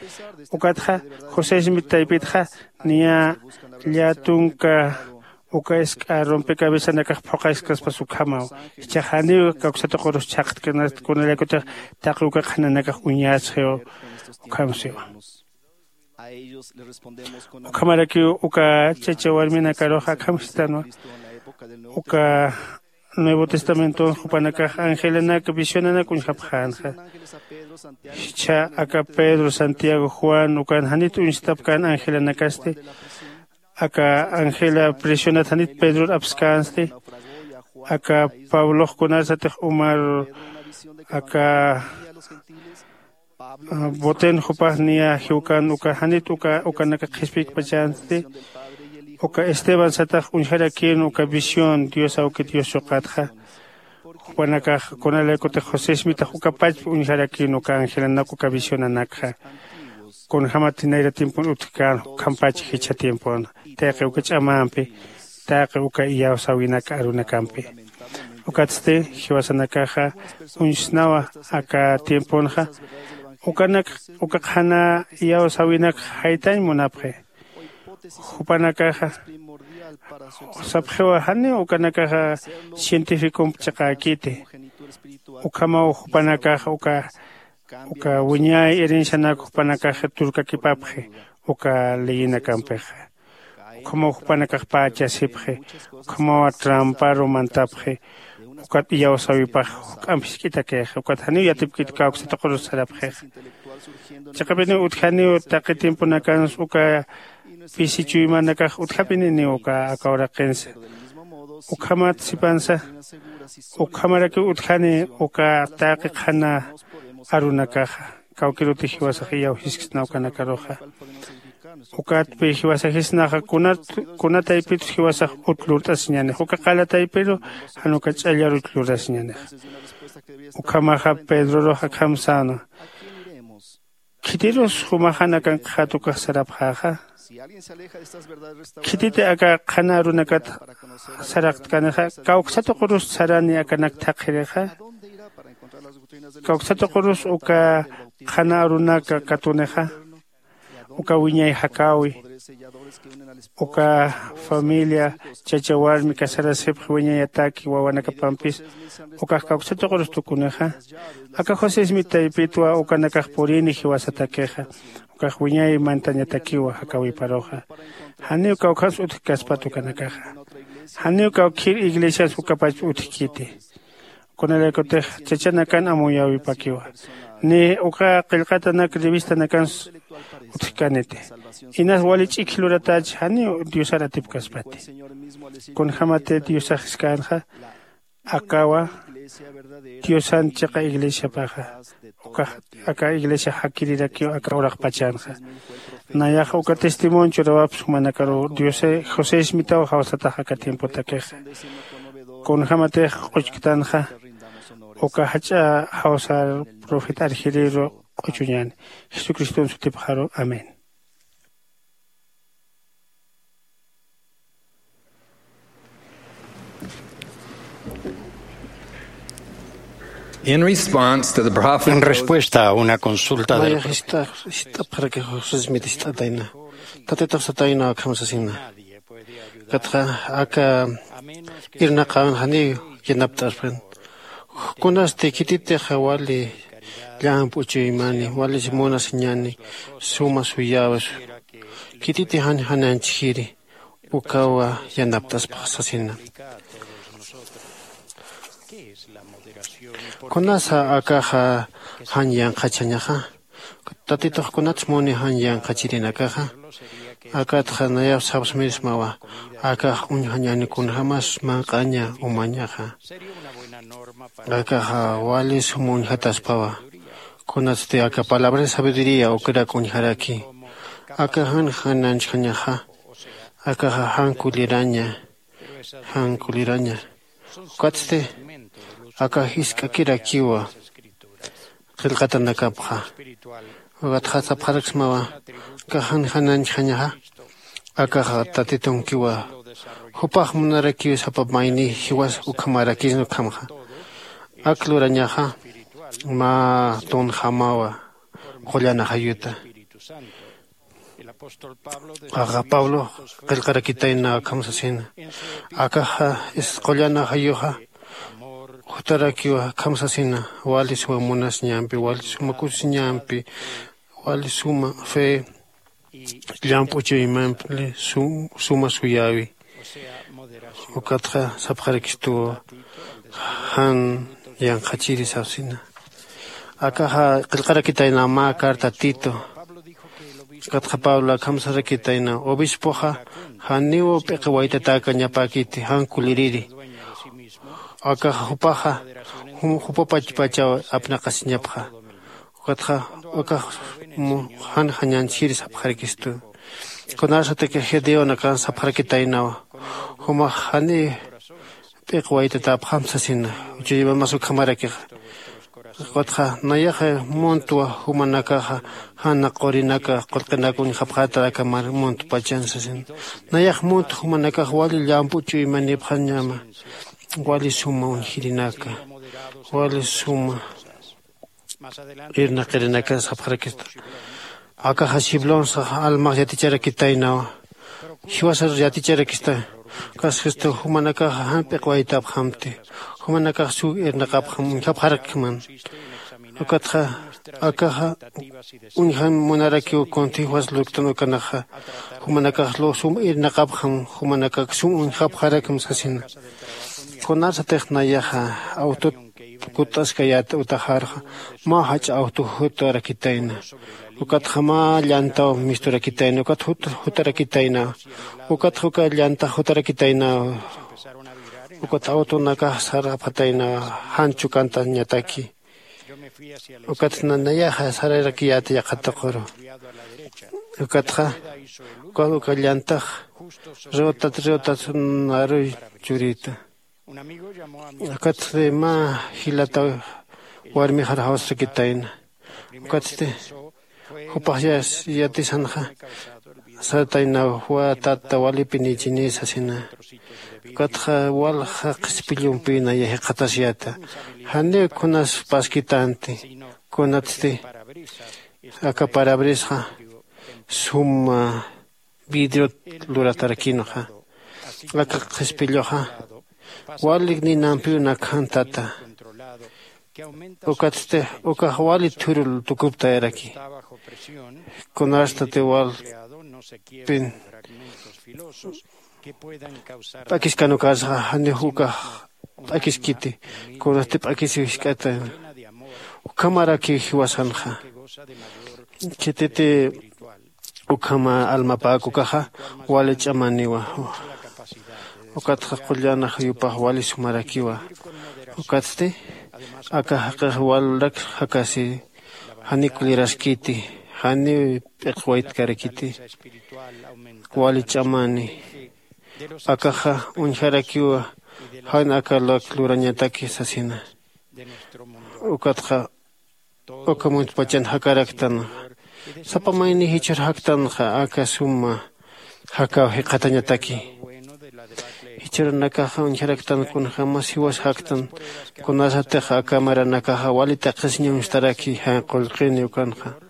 Ukatxa josé smith taypitxa niya llätunka uka isk'a rompecabezanakax phuqaskaspas ukhamaw. Jichhax janiw kawksatuqurus chhaqtknasti kunalaykutix taqi uka qhananakax uñasxiw. Ukham siwa ukhamarakiw uka chacha warminakaruxa akham sistanwa uka nuevo testamenton jupanakax angelanak visionanak uñjapxänxa. Jichha aka pedro santiago juan ukan janit uñstapkän angelanakasti aka angela prisionat janit pedror apskänsti. Aka pablox kunarsatix umar aka boten jupax niya jiwkän uka janit uka ukanaka qhispiyikpachänsti. Uka esteban satax uñjarakïn uka visión dios awki dios yuqatxa. Jupanakax kunalaykutix josé smitax uka pachpa uñjarakïn uka angelanak uka visionanakxa. Kunjämat nayra tiempon utjkän ukhampach jichha tiempon taqi uka ch'amampi taqi uka iyawsäwinak arunakampi. Ukatsti jiwasanakaxa uñsnawa aka tiemponxa ukanak uka qhana iyawsäwinak jaytañ munapxi. Jupanakaxa sapxiwa janiw ukanakaxa cientificomp chiqäkiti. Ukhamaw jupanakaxa uka uka wiñay herencianak jupanakax turkakipapxi uka leyinakampixa. Ukhamaw jupanakax pächasipxi. Ukhamaw tramparu mantapxi. Ukat iyawsäwipax juk'amp jisk'itakix ukat janiw yatipkit kawksatuqurus sarapxixa. Chiqapiniw utjaniw taqi tiemponakans uka pisi chuymanakax utjapininiw uka aka uraqinsa. Ukhamat sipansa ukhamarakiw utjani uka taqi qhana arunakaxa kawkiruti jiwasax iyawsisksna ukanakaruxa. Ukatpi jiwasajisnaxa kunat kunataypitus jiwasax ut lurt'asiñanix uka qalataypiru jan uka ch'allaruch lurasiñanix. Ukhamaxa pedrorux akham säna khitirus jumaxan akanqxat ukax sarapxäxa? Khititi aka qhana arunakat saraqtkanixa kawksatuqurus sarani akanak thaqhirixa? Kawksatuqurus uka qhana arunaka katunixa? Uka wiñay jakäwi uka familia chacha warmi casarasipxi wiñayataki wawanakapampis ukax kawksatuqurus tukunixa? Aka josé smith taypitwa ukanakax purini jiwasatakixa. Ukax wiñay mantañatakiwa jakäwiparuxa. Janiw kawkhans utjkaspat ukanakaxa. Janiw kawkhir iglesians ukapach utjkiti. Kunalaykutix chachanakan amuyäwipakiwa. Ni uka qillqatanak revistanakans utjkäniti. Inas wali ch'ikj luratach janiw diosar atipkaspati. Kunjämati diosax jiskänxa akawa diosan chiqa iglesiapaxa ukax aka iglesia jakirirakiw aka uraqpachanxa. Nayax uka testimonio churawaps jumanakaruw diose josé smitaw jawsatax aka tiempotakixa. Kunjämatix q'uchktanxa uka jach'a jawsar profeta arjiriru q'uchuñäni. Jesucriston sutipxaru amén. In response to the prophet, en respuesta a una consulta del... Mayax jist'apxarakix josesmit jist'atayna. Tatitux satayna akham sasina. Ukatxa aka irnaqäwin janiw yanapt'aspan. Kunasti khititix wali llamp'u chuymani, wali munasiñani suma suyäwisu, khititix jan jananchjiri, ukawa yanapt'aspax sasina. Kunasa akaxa jan yanqhachxañaxa? Tatitux kunats muni jan yanqhachirinakaxa? Akatxa nayap sapsmirismawa, akax uñjañani kunjämas manq'aña umañaxa. Akaxa wali sum uñjataspawa. Kunatsti aka palabra de sabiduría ukarak uñjaraki. Aka jan jananchjañaxa, akaxa jan kuliraña, jan kuliraña. Ukatsti aka jisk'akirakiwa qillqatanakapxa. Ukatxa sapxaraksmawa, aka jan jananchjañaxa, akaxa Tatitunkiwa. Jupax munarakiw sapa mayni jiwas ukhamarakisna ukhamxa. Ak lurañaxa mä tunjamawa qullan ajayuta. Axa Pablo qillqarakitayna akham sasina. Akaxa qullan ajayuxa jutarakiwa akham sasina. Wali suma munasiñampi, wali suma kusisiñampi, wali suma fe, llamp'u chuymampi, suma suyäwi. Ukatxa sapxarakistuwa jan yanqhachiri sapsina. Akaxa qillqarakitayna mä carta Tito. Ukatxa Pablo akham sarakitayna, obispoxa janiw p'iqi waytatäkañapäkiti, jan kuliriri. Akaxa jupaxa jum jupapachpachaw apnaqasiñapxa. Ukatxa ukax jan jañanchjiri sapxarakistu. Kunasatix Gedeonakan sapxarakitaynawa, jumax janiw p'iqi waytatäpxam sasina. Chuymamas ukhamarakixa. Ukatxa nayaxa muntwa jumanakaxa jan qurinaka qullqinaka uñjapxäta aka mar muntpachan sasina. Nayax munt jumanakax wali llamp'u chuymanipxañama, wali suma uñjirinaka, wali suma irnaqirinaka sapxarakista. Akaxa siblonsax almax yaticharakitaynawa. Jiwasar yaticharakista. Kasxistu jumanakaxa jan p'iqwaytapxamti, jumanakax suw irnaqapxam uñjapxarakman. Ukatxa akaxa uñjam munarakiw kunti jiwas lurktan ukanaxa. Jumanakax sum irnaqapxam, jumanakax sum uñjapxarakam sasina. Kunasatix nayaxa awtut kut'askayät utaxarxa mä jach'a awtu jutarakitayna. Ukatxa mä llantaw misturakitayna, ukat jutarakitayna. Ukatxa uka llantax jutarakitayna. Ukat awtunakax sarapxatayna jan chukantañataki. Ukat nayaxa sararakiyät yaqha tuquru. Ukatxa uka llantax riwtat riwtat naruy churita. Ukatsti mä jilataw warmixar jawsarakitayna. Ukatsti jupax yatisanxa sataynaw, tata, walipinïchini sasina. Ukatxa walja qhispillumpï naya jikxatasyäta. Janiw kunas paskitänti, kunatsti aka parabrisxa suma vidriot luratarakïnxa. Aka qhispilluxa walik ninampiw nakhan tata. Ukatsti ukax wali thurul tukuptayaraki. Kunastati walpin p'akiskan ukarsaxa janiw ukax p'akiskiti. Kunasti p'akisiw jisk'ata. Ukhamarakiw jiwasanxa. Khititi ukhama almapäk ukaxa wali ch'amaniwa. Ukatxa qullan ajayupax wali sumarakiwa. Ukatsti aka jaqix walrak jakasi, janiw kuliraskiti, janiw p'iq waytkarakiti, wali ch'amani. Akaxa uñjarakiwa jan aka lak lurañataki sasina. Ukatxa uka muntpachan jakaraktanxa. Sapa mayni jichhür jaktanxa aka suma jakaw jikxatañataki. Jichhürunakaxa uñjaraktan kunjämas jiwas jaktan. Kunasatix aka maranakaxa wali taqisiñ uñstaraki jan qullqini ukanxa.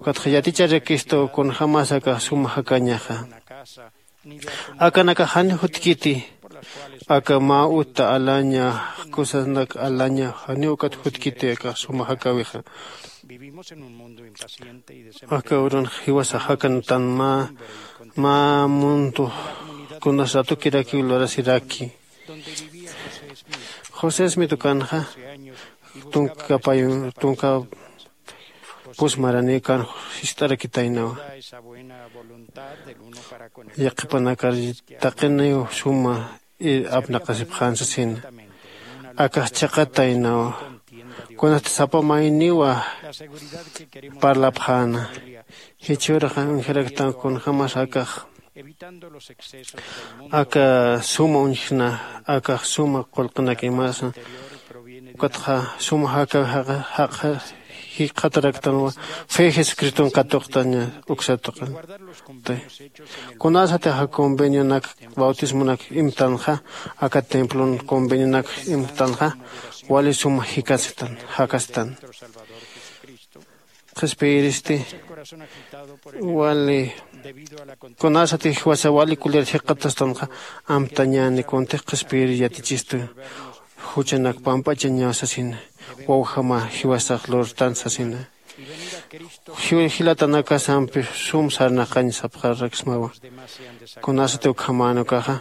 Ukatxa yaticharakistu kunjämas akax suma jakañaxa. Akanakax janiw jutkiti. Aka mä uta alaña, kusanak alaña janiw ukat jutkiti akax suma jakäwixa. Aka urunx jiwasax jakantan mä mä mundo kunas ratukirakiw lurasiraki. José Smith ukanxa tunka pay tunka pus maranikan jist'arakitaynawa. Yaqhipanakar taqiniw suma apnaqasipxän sasina. Akax chiqataynawa. Kunasti sapa mayniwa parlapxäna. Jichhürxa uñjaraktan kunjämas akax aka suma uñjna akax suma qullqinakimasa. Ukatxa suma jaka jaqxa jikxataraktanwa fe jesucriston katuqtaña uksatuqin. Kunasatixa convenionak bautismonak imtanxa aka templon convenionak imtanxa wali suma jikasitan jakastan. Qhispiyiristi wali kunasatix jiwasa wali kulir jikxatastanxa amtañäni kuntix qhispiyir yatichistu. Juchanak pamp'achañaw sasina wawjama jiwasax lurtan sasina. Jilatanakasampi sum sarnaqañ sapxaraksmawa. Kunasati ukhamänukaxa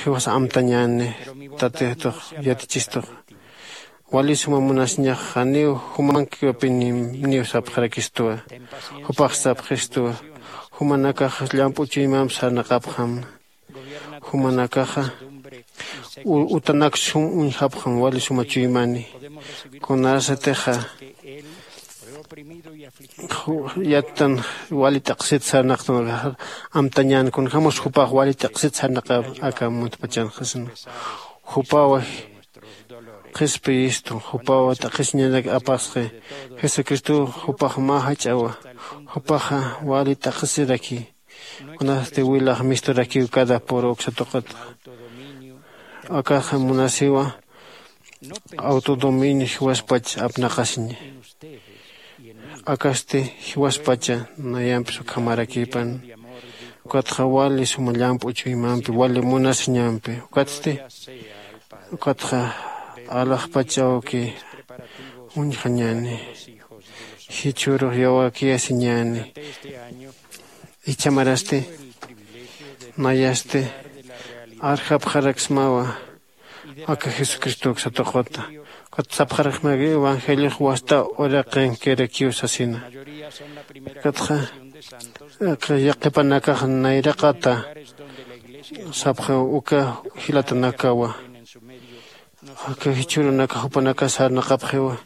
jiwas amtañäni tatitux yatichistux. Wali suma munasiñax janiw jumankiwapiniw sapxarakistuwa. Jupax sapxistuwa jumanakax llamp'u chuymamp sarnaqapxam. Jumanakaxa utanak sum uñjapxam wali suma chuymani. Kunasatixa yattan wali t'aqsit sarnaqtanakaxa amtañän kunjämas jupax wali t'aqsit sarnaqap aka muntpachanxasna. Jupawa qhispiyistu jupawa t'aqhisiñanak apasxi. Jesucristow jupax mä jach'awa. Jupaxa wali t'aqhisiraki. Kunasti wilax misturakiw cada puru uksa tuqitxa. Akaxa munasiwa autodominio jiwaspach apnaqasiña. Akasti jiwaspacha nayampis ukhamarakipan. Ukatxa wali suma llamp'u chuymampi wali munasiñampi ukatsti ukatxa alaxpach awki uñjañäni. Jichhürux yawakiyasiñäni. Ichhamarasti nayasti arjapxaraksmawa aka jesucristow uksatuquta. Ukat sapxaraksmaki evangeliox wasta uraqinkirakiw sasina. Ukatxa aka yaqhipanakax nayraqata sapxiw uka jilatanakawa. Aka jichhürunakax jupanakax sarnaqapxiwa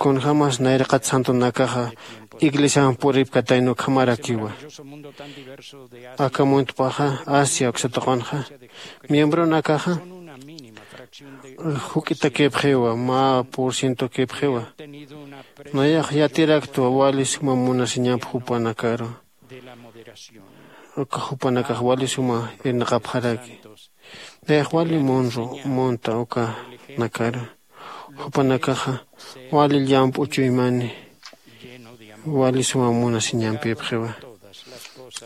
kunjämas nayraqat santonakaxa iglesiamp puripkatayna ukhamarakiwa. Aka muntpaxa asia uksatuqanxa miembronakaxa juk'itakipxiwa mä por cientokipxiwa. Nayax yatiraktwa wali suma munasiñamp jupanakaru. Uka jupanakax wali suma irnaqapxaraki. Nayax wali munru munta ukanakaru. Jupanakaxa wali llamp'u chuymani wali suma munasiñampipxiwa.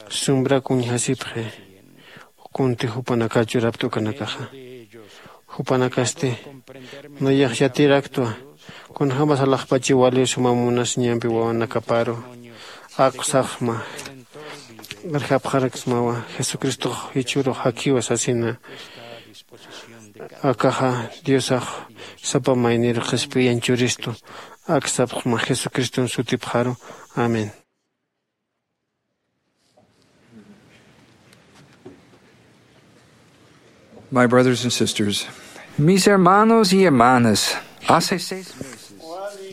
Sumbrak uñjasipxi kunti jupanakax churapta ukanakaxa. Jupanakasti nayax yatiraktwa kunjämas alaxpachi wali suma munasiñampi wawanakaparu. Ak sapxma arjapxaraksmawa jesucristox jichhürux jakiwa sasina. Akaxa diosax sapa mayniru qhispiyañ churistu. Ak sapxma jesucriston sutipxaru. Amén. My brothers and sisters, mis hermanos y hermanas, hace seis meses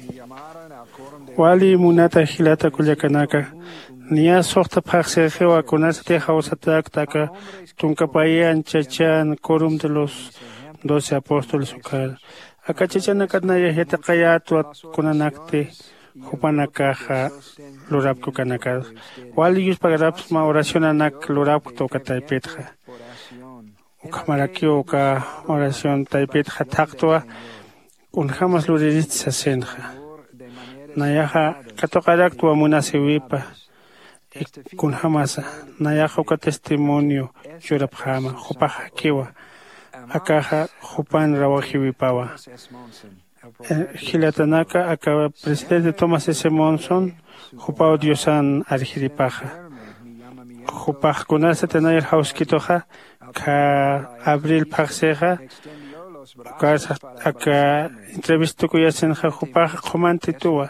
me llamaron al coro de wali munata jilata kullakanaka. Niya suxta phaxsirxiwa kunasatix jawsatäkta aka tunka payi anchachan corum de los doce apóstoles ukar. Aka chachanakat nayax yatiqayätwa kunanakti jupanakaxa lurapktukanakax wali yuspagarapsma oracionanak lurapkta uka taypitxa. Ukhamarakiw uka oración taypitxa thaqtwa kunjämas luririst sasinxa. Nayaxa katuqaraktwa munasïwipa kunjämasa. Nayaxa uka testimonio churapxäma jupax jakiwa. Akaxa jupan rawajïwipawa. Jilatanaka aka presidente tomás s monson jupaw diosan arjiripaxa. Jupax kunasati nayar jawskituxa kha abril phaxsixa. Ukarsa aka entrevista tukuyasinxa jupaxa qhumantituwa.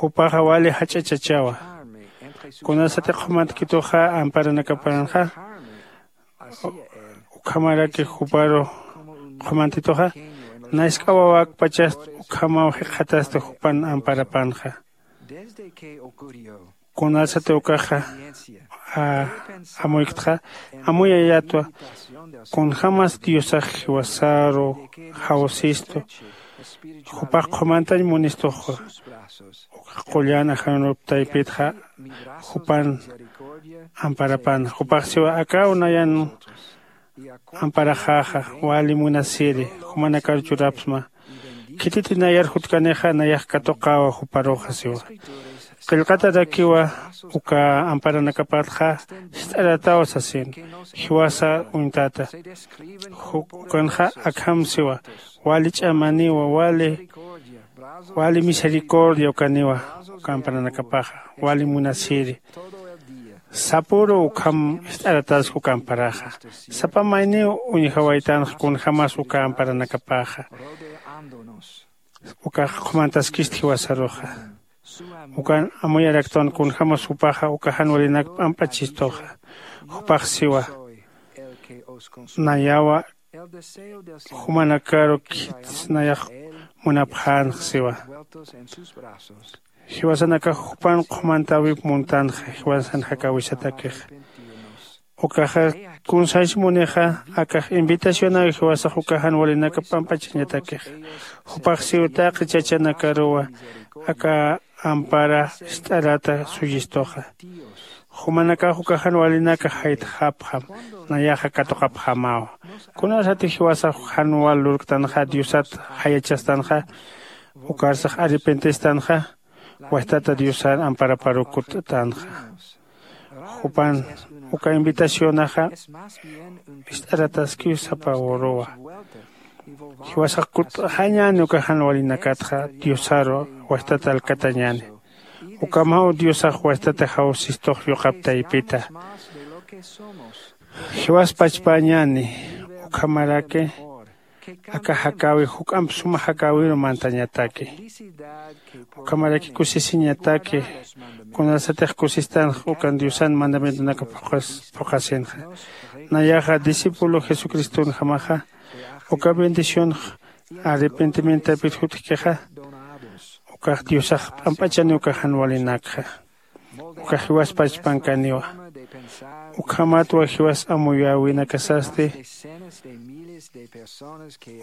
Jupaxa wali jach'a chachawa. Kunasati qhumantkituxa amparanakapanxa ukhamaraki juparu qhumantituxa. Nask'a wawakpachast ukhamaw jikxatasti jupan amparapanxa. Kunasati ukaxa amuyktxa amuyayatwa. Kunjämas diosax jiwasaru jawsistu jupax qhumantañ munistuxa. Ukax qullan ajanurup taypitxa jupan amparapan jupax siwa akaw nayan amparaxäxa wali munasiri jumanakar churapsma. Khititi nayar jutkanixa nayax katuqäwa juparuxa siwa. Qillqatarakiwa uka amparanakapatxa jist'arataw sasin jiwasa uñtata. Ukanxa akham siwa wali ch'amaniwa wali wali misericordia ukaniwa uka amparanakapaxa wali munasiri. Sapüru ukham jist'arataski uka amparaxa. Sapa mayniw uñjawaytanx kunjämas uka amparanakapaxa ukax qhumantaskist jiwasaruxa. Ukan amuyaraktwan kunjämas jupaxa uka jan walinak p'amp'achistuxa. Jupax siwa nayawa jumanakaru khits nayax munapxänx siwa. Jiwasanakax jupan qhumantäwip muntanxa jiwasan jakäwisatakixa. Ukaxa kunsaysi munixa akax invitacionäwi jiwasax uka jan walinaka p'amp'achañatakixa. Jupax siw taqi chachanakaruwa aka ampara jist'arata suyistuxa. Jumanakax uka jan walinaka jaytxapxam nayaxa katuqapxämawa. Kunasati jiwasax jan wal lurktanxa diosat jayachastanxa ukarsax arrepentistanxa wajtata diosar amparaparu kutt'tanxa. Jupan uka invitacionaxa jist'arataskiw sapa uruwa. Jiwasax kutt'xañäni uka jan walinakatxa diosaru wajtata alkatañäni. Ukhamaw diosax wajtata jawsistux yuqap taypita. Jiwas pachpäñäni ukhamaraki aka jakäwi juk'amp suma jakäwiru mantañataki. Ukhamaraki kusisiñataki kunasatix kusistanx ukan diosan mandamientonaka phuqasinxa. Nayaxa discípulo jesucristonjamaxa uka bendicionx arrepentimientapir jutkixa ukax diosax p'amp'achani uka jan walinakxa. Ukax jiwas pachpankaniwa. Ukhamatwa jiwas amuyäwinakasasti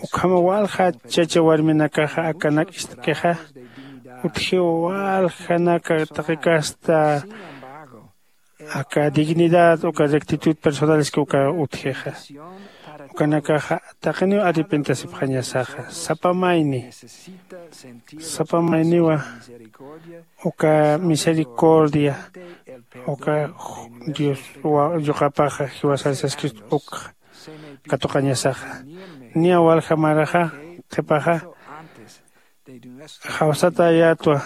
ukhama walja chacha warminakaxa akanak ist'kixa utjiw waljanaka taqi kasta aka dignidad uka rectitud personaleski uka utjixa. Ukanakaxa taqiniw arrepentasipxañasaxa sapa mayni sapa mayniwa uka misericordia uka dios yuqapaxa jiwasasaskist ukxa katuqañasaxa. Niya walja maraxa qhipaxa jawsatayätwa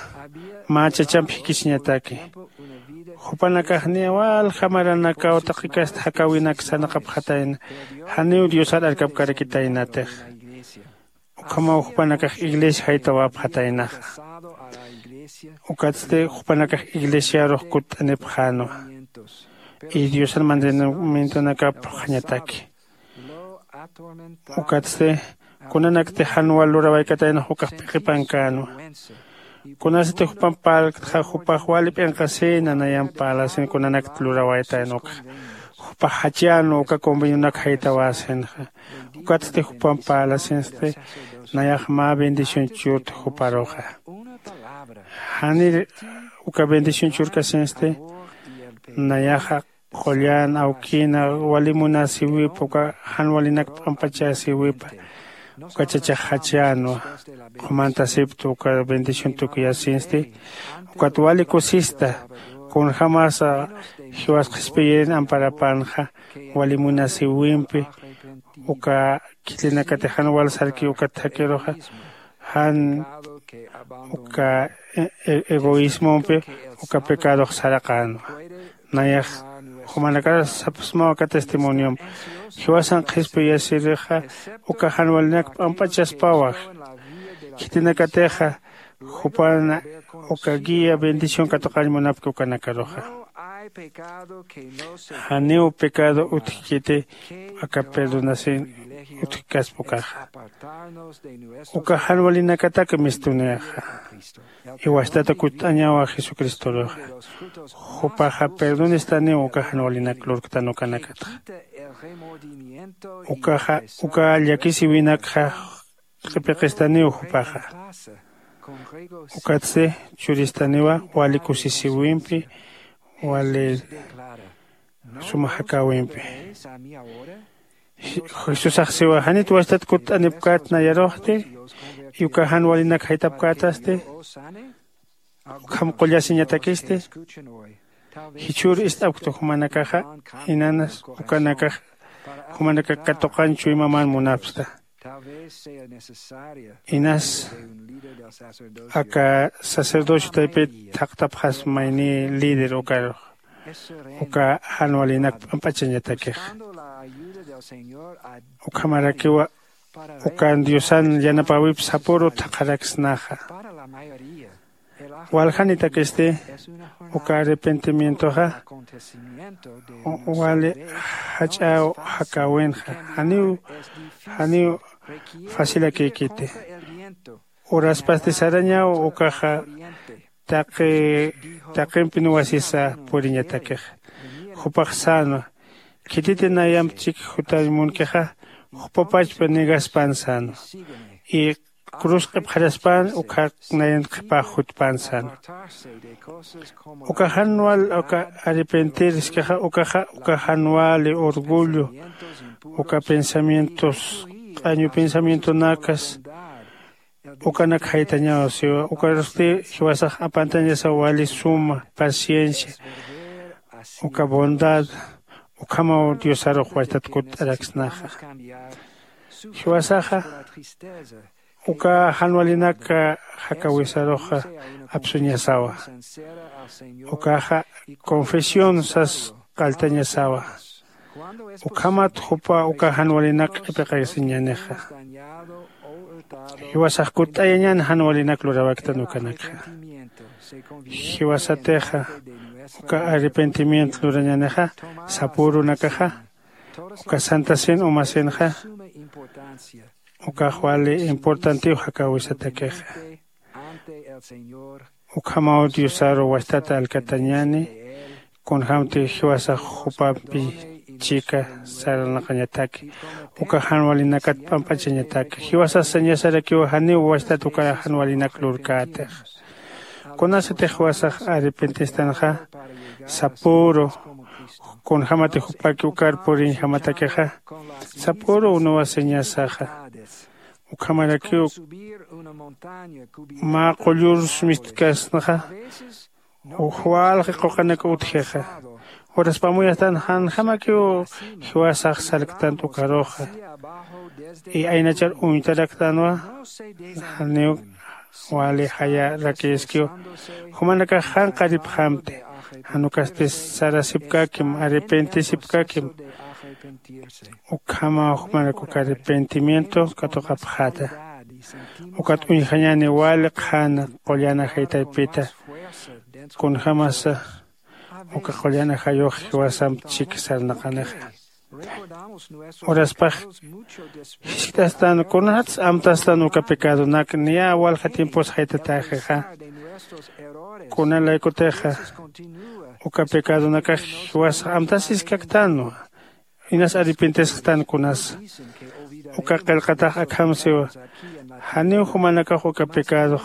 mä chachamp jikisiñataki. Jupanakax niya walja maranakaw taqi kasta jakäwinak sarnaqapxatayna janiw diosar arkapkarakitaynatix. Ukhamaw jupanakax iglesia jaytawapxataynaxa. Ukatsti jupanakax iglesiarux kutt'anipxänwa y diosan mandamientonakap phuqhañataki. Ukatsti kunanakti jan wal lurawaykataynax ukax p'iqipankänwa. Kunasati jupamp parlktxa jupax wali p'inqasïna nayamp parlasin kunanakti lurawaytayna ukxa jupax jachänwa uka convenionak jaytawäsinxa. Ukatsti jupamp parlasinsti nayax mä bendición churta juparuxa. Janir uka bendición churkasinsti nayaxa qullan awkina wali munasiwipa uka jan walinak p'amp'achasiwipa uka chachax jachänwa. Qhumantasipta uka bendición tukuyasinsti ukat wali kusista. Kunjämasa jiwas qhispiyirin amparapanxa wali munasiwimpi uka khitinakatix jan wal sarki ukat thakhiruxa jan uka egoísmompi uka pecadox saraqänwa. Nayax jumanakar sapsmaw aka testimoniomp jiwasan qhispiyasirixa uka jan walinak p'amp'achaspawa. Khitinakatixa jupan uka guía bendición katuqañ munapki ukanakaruxa. Janiw pecado utjkiti aka perdonasin utjkaspa ukaxa uka jan walinakatak mistunixa. Iwastata kutt'añawa jesucristoruxa jupaxa perdonistaniw uka jan walinak lurktan ukanakatxa. Ukaxa uka llakisiwinakxa q'ipiqistaniw jupaxa. Ukatsti churistaniwa wali kusisiwimpi wali suma jakäwimpi. Jesusax siwa janit wastat kutt'anipkät nayaruxti? Y uka jan walinak jaytapkätasti ukham qullasiñatakisti? Jichhür ist'apkta jumanakaxa inanas ukanakax jumanakak katuqañ chuymaman munapsta. Inas aka sacerdocio taypit thaqtapxasma ini líder ukarux uka jan walinak p'amp'achañatakix. Ukhamarakiwa ukan diosan yanapäwip sapüru thaqharaksnaxa. Waljanitakasti uka arrepentimientoxa wali jach'äw jakäwinxa. Janiw janiw facilakïkiti. Uraspasti sarañaw ukaxa taqi taqimpi nuwasisa puriñatakixa. Jupax sänwa khititi nayamp chik jutañ munkixa jupapachpa negaspan sänwa. Y cruz q'ipxaraspan ukhak nayan qhipax jutpan sänwa. Uka jan wal uka arrepentir iskaxa ukaxa uka jan wali orgullo uka pensamientos q'añu pensamientonakas ukanak jaytañaw siwa. Ukarusti jiwasax apantañasaw wali suma paciencia uka bondad ukhamaw diosarux wachtat kutt'araksnaxa. Jiwasaxa uka jan walinak jakäwisaruxa apsuñasawa. Ukaxa confesión sas qalltañasawa. Ukhamat jupa uka jan walinak q'ipiqasiñänixa. Jiwasax kutt'ayañän jan walinak luräwaktan ukanakxa. Jiwasatixa uka arrepentimiento lurañänixa sapürunakaxa uka santasin umasinxa ukax wali importantiw jakäwisatakixa. Ukhamaw diosaru wastata alkatañäni kunjämti jiwasax jupampi chika sarnaqañataki uka jan walinakat p'amp'achañataki. Jiwasax sañasarakiw janiw wastat uka jan walinak lurkätix. Kunasatix jiwasax arrepentistanxa sapüru kunjämati jupaki ukar puriñjamatakixa sapüru unuwasiñasaxa. Ukhamarakiw mä qullur sumist'kasnaxa walji quqanak utjixa. Uraspamuyastan janjamakiw jiwasax sarktant ukaruxa y aynachar uñtaraktanwa. Janiw wali jayarakïskiw jumanakax janqaripxamti. Jan ukasti sarasipkakim arrepentisipkakim. Ukhamaw jumanak uka arrepentimiento katuqapxäta. Ukat uñjañäni wali qhana qullan ajay taypita kunjämasa uka qullan ajayux jiwasamp chik sarnaqanixa. Uraspax jiskt'astan kunats amtastan uka pecadonak niya walja tiempos jaytatäxixa. Kunalaykutixa uka pecadonakax jiwasax amtasiskaktanwa. Inas arrepentesxtan kunasa uka qillqatax akham siwa. Janiw jumanakax uka pecadox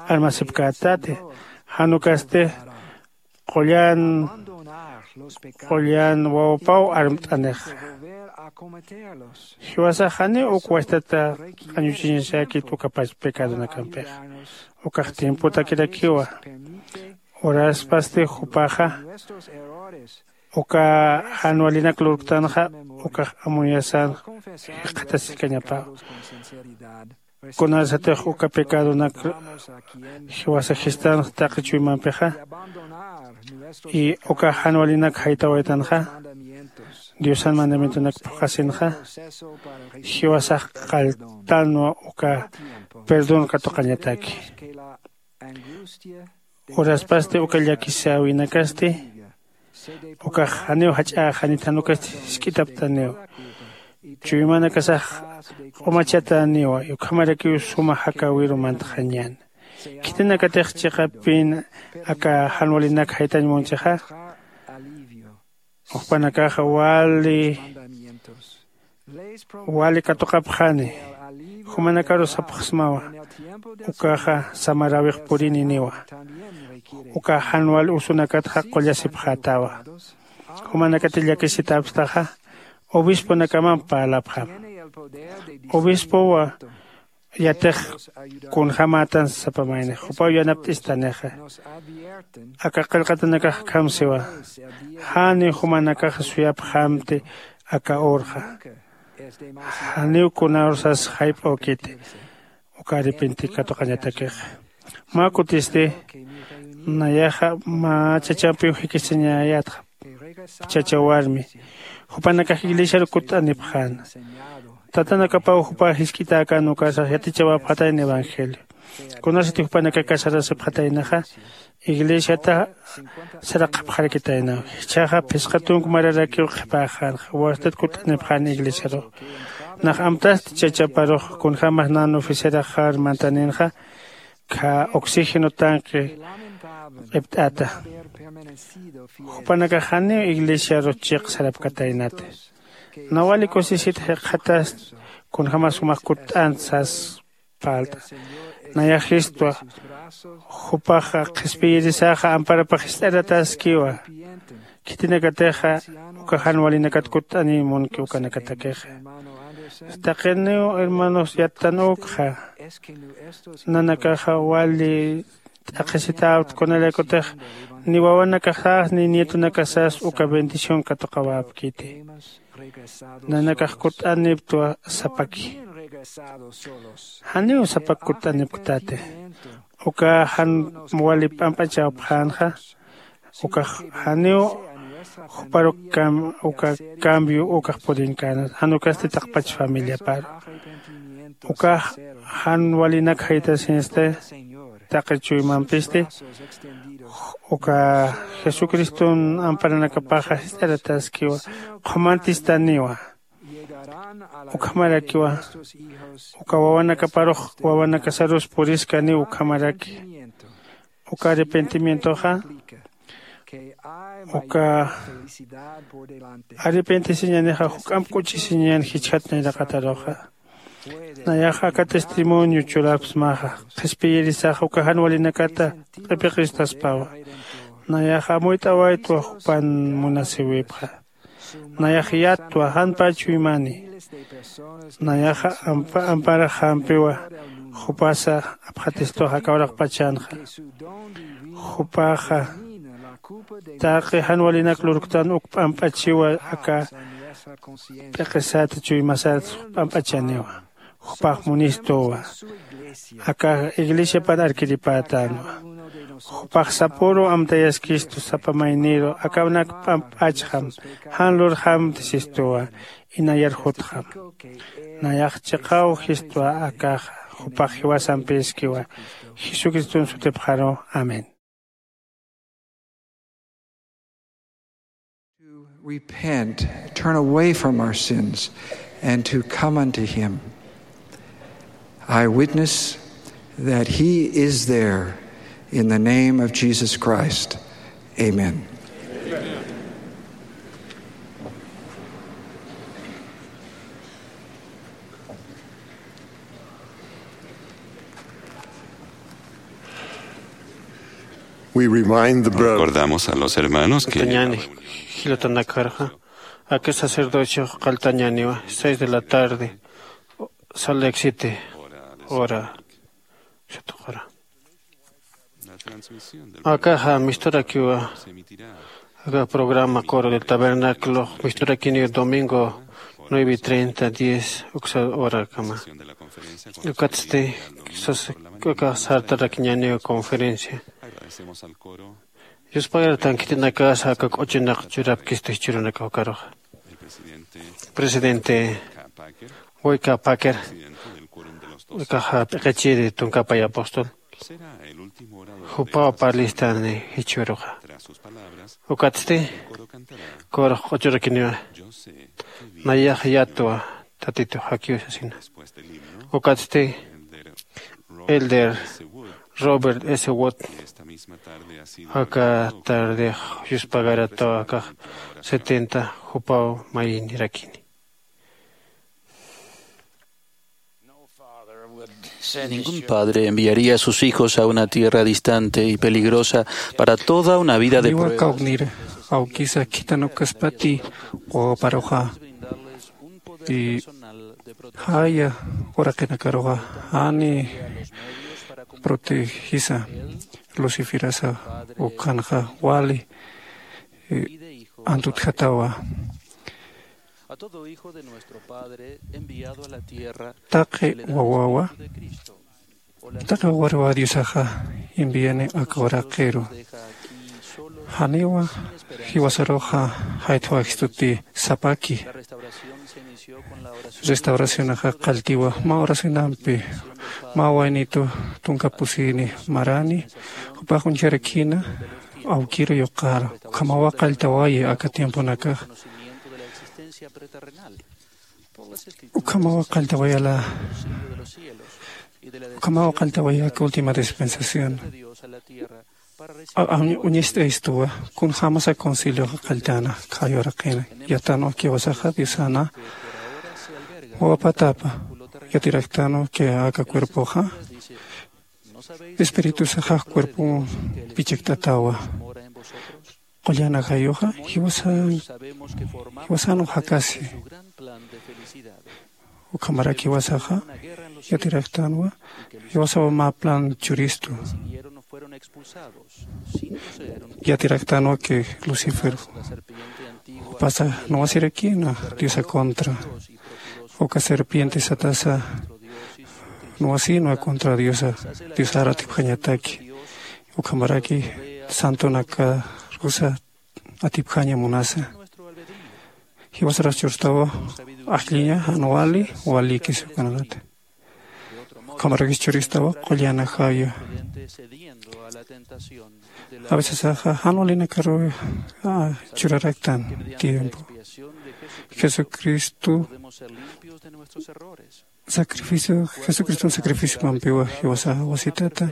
armasipkätati. Jan ukasti qullan qullan wawapaw armt'anixa. Jiwasax janiw uk wastata q'añuchiñasäkit ukapach pecadonakampixa. Ukax tiempotakirakiwa. Uraspasti jupaxa uka jan walinak lurktanxa ukax amuyasän jikxatasikañapäwa. Kunasatix uka pecadonak jiwasa jistanx taqi chuymampixa y uka jan walinak jaytawaytanxa, diosan mandamientonak phuqhasinxa jiwasax qalltanwa uka perdón katuqañataki. Uraspasti uka llakisäwinakasti ukax janiw jach'äxanit, jan ukasti jisk'itaptaniw. Chuymanakasax q'umachatäniwa ukhamarakiw suma jakäwiru mantxañän. Khitinakatix chiqapin aka jan walinak jaytañ munchixa jupanakaxa wali wali katuqapxani. Jumanakaru sapxsmawa ukaxa samaräwix purininiwa. Uka jan wal usunakatxa qullasipxätawa. Jumanakati llakisitäpstaxa obisponakamamp parlapxam. Obispowa yatix kunjämätan sapa mayni jupaw yanapt'istanixa. Aka qillqatanakax akham siwa janiw jumanakaxa suyapxamti aka urxa. Janiw kunarusas jayp'äwkiti uka arrepenti katuqañatakixa. Mä kutisti nayaxa mä chachampiw jikisiñayätxa chacha warmi jupanakax iglesiaru kutt'anipxäna. Tatanakapaw jupa jisk'itäkän ukarsax yatichawapxatayna evangelio. Kunasati jupanakax casarasipxataynaxa iglesiata saraqapxarakitaynaw. Jichhaxa phisqa tunk mararakiw qhipäxänxa wastat kutt'anipxän iglesiarux. Nax amtasti chachaparux kunjämas nan oficeraxar mantaninxa kha oxígeno tanque q'ipt'ata. Jupanakax janiw iglesiaru chiq sarapkataynati. Nawali kusisit jikxatast kunjämas jumax kutt'ant sas parlt'a. Nayax jistwa jupaxa qhispiyirisaxa amparapax jist'aratäskiwa. Khitinakatixa uka jan walinakat kutt'aniy munki ukanakatakixa. Taqiniw hermanos yattan ukxa nanakaxa wali t'aqhisitäwt kunalaykutix ni wawanakaxas ni nietonakasas uka bendición katuqawäpkiti. Nanakax kutt'aniptwa sapaki. Janiw sapak kutt'anipktati. Uka jan wali p'amp'achawapxänxa ukax janiw juparuk uka cambio ukax purinkäna jan ukasti taqpach familiaparu. Ukax jan walinak jaytasinsti taqi chuymampisti uka jesucriston amparanakapaxa jist'aratäskiwa qhumantistäniwa. Ukhamarakiwa uka wawanakaparux wawanakasarus puriskaniw ukhamaraki. Uka arrepentimientoxa uka arrepentisiñanixa juk'amp k'uchisiñan jichhat nayraqataruxa. Nayaxa aka testimonio churapsmaxa qhispiyirisaxa uka jan walinakata q'ipiqistaspawa. Nayaxa amuyt'awaytwa jupan munasiwipxa. Nayax yattwa jan pä chuymani. Nayaxa amparax jampiwa jupasa apxatistwa aka uraqpachanxa. Jupaxa taqi jan walinak lurktan uk p'amp'achiwa aka p'iqisat chuymasat p'amp'achaniwa. Jupax munistuwa aka iglesiapan arkiripätänwa. Jupax sapüru amtayaskistu sapa mayniru akawnak p'amp'achxam jan lurxamti sistuwa. Inayar jutxam nayax chiqaw jistwa akaxa. Jupax jiwasampiskiwa jesucriston sutipxaru. Amén. To repent, turn away from our sins, and to come unto him. I witness that he is there in the name of Jesus Christ. Amen. We remind the brothers. Recordamos a los hermanos que Kañäni Jilatanakarxa aka sacerdocio qalltañaniwa seis de la tarde, sal existe hora. Akaxa misturakiwa. Aka programa coro del tabernáculo misturakiniw domingo nueve y treinta diez uksa horakama. Ukatsti aka sartarakiñaniw conferencia. Yuspagartan khitinakasa aka k'uchinaq churapkisti churunakaw karuxa. Presidente Boyka Packer, aka p'iqichiri tunkapay apóstol, jupaw parlistani jichhüruxa. Ukatsti corux q'uchurakiniwa, nayax yatwa, Tatitu jakiw sasina. Ukatsti elder Robert S Watt, aka tardix yuspagarataw akax setenta, jupaw mayinirakini. Ningún padre enviaría a sus hijos a una tierra distante y peligrosa para toda una vida de pruebas. Kawknir awkisa khithanukaspati wawaparuxa, y jaya uraqinakaruxa jani protegisa, luciferasa ukhanxa wali antutjatawa. Taqi wawawa, taqi wawaruwa diosaxa enviani aka uraqiru. Janiwa jiwasaruxa jaythawaxistuti sapaki. Restauracionaxa qalltiwa mä oracionampi, mä waynitu tunka pusini marani jupax uñjarakina awkiru yuqar, ukhamawa qalltawayi aka tiemponakax. Ukhamawa qalltawayala. Ukhamawa qalltawaya aka última dispensación. Uñist'aystuwa kunjämasa concilioxa qalltana khayuraqina. Yatanwa kiwasaxa diosana wawapatapa yatiraktanwa ki aka cuerpoxa espiritusaxa cuerpon pichikt'atawa. Qullan ajayuxa jiwasan jiwasanwa jakasi. Ukhamaraki jiwasaxa yatiraktanwa jiwasawa mä plan churistu. Yatiraktanwa ki lucifer jupasa nuwasirakina diosa contra. Uka serpiente satasa nuwasinwa contra diosa, diosar atipjañataki. Ukhamaraki santonakarusa atipjaña munasa. Jiwasaras churstawa ajlliña jan wali walikis ukanakata. Ukhamaraki churistawa qullan ajaya. A veces aja jan walinakaru churaraktan tiempo. Jesucristo sacrificio jesucriston sacrificiomampiwa jiwasaxa wasitata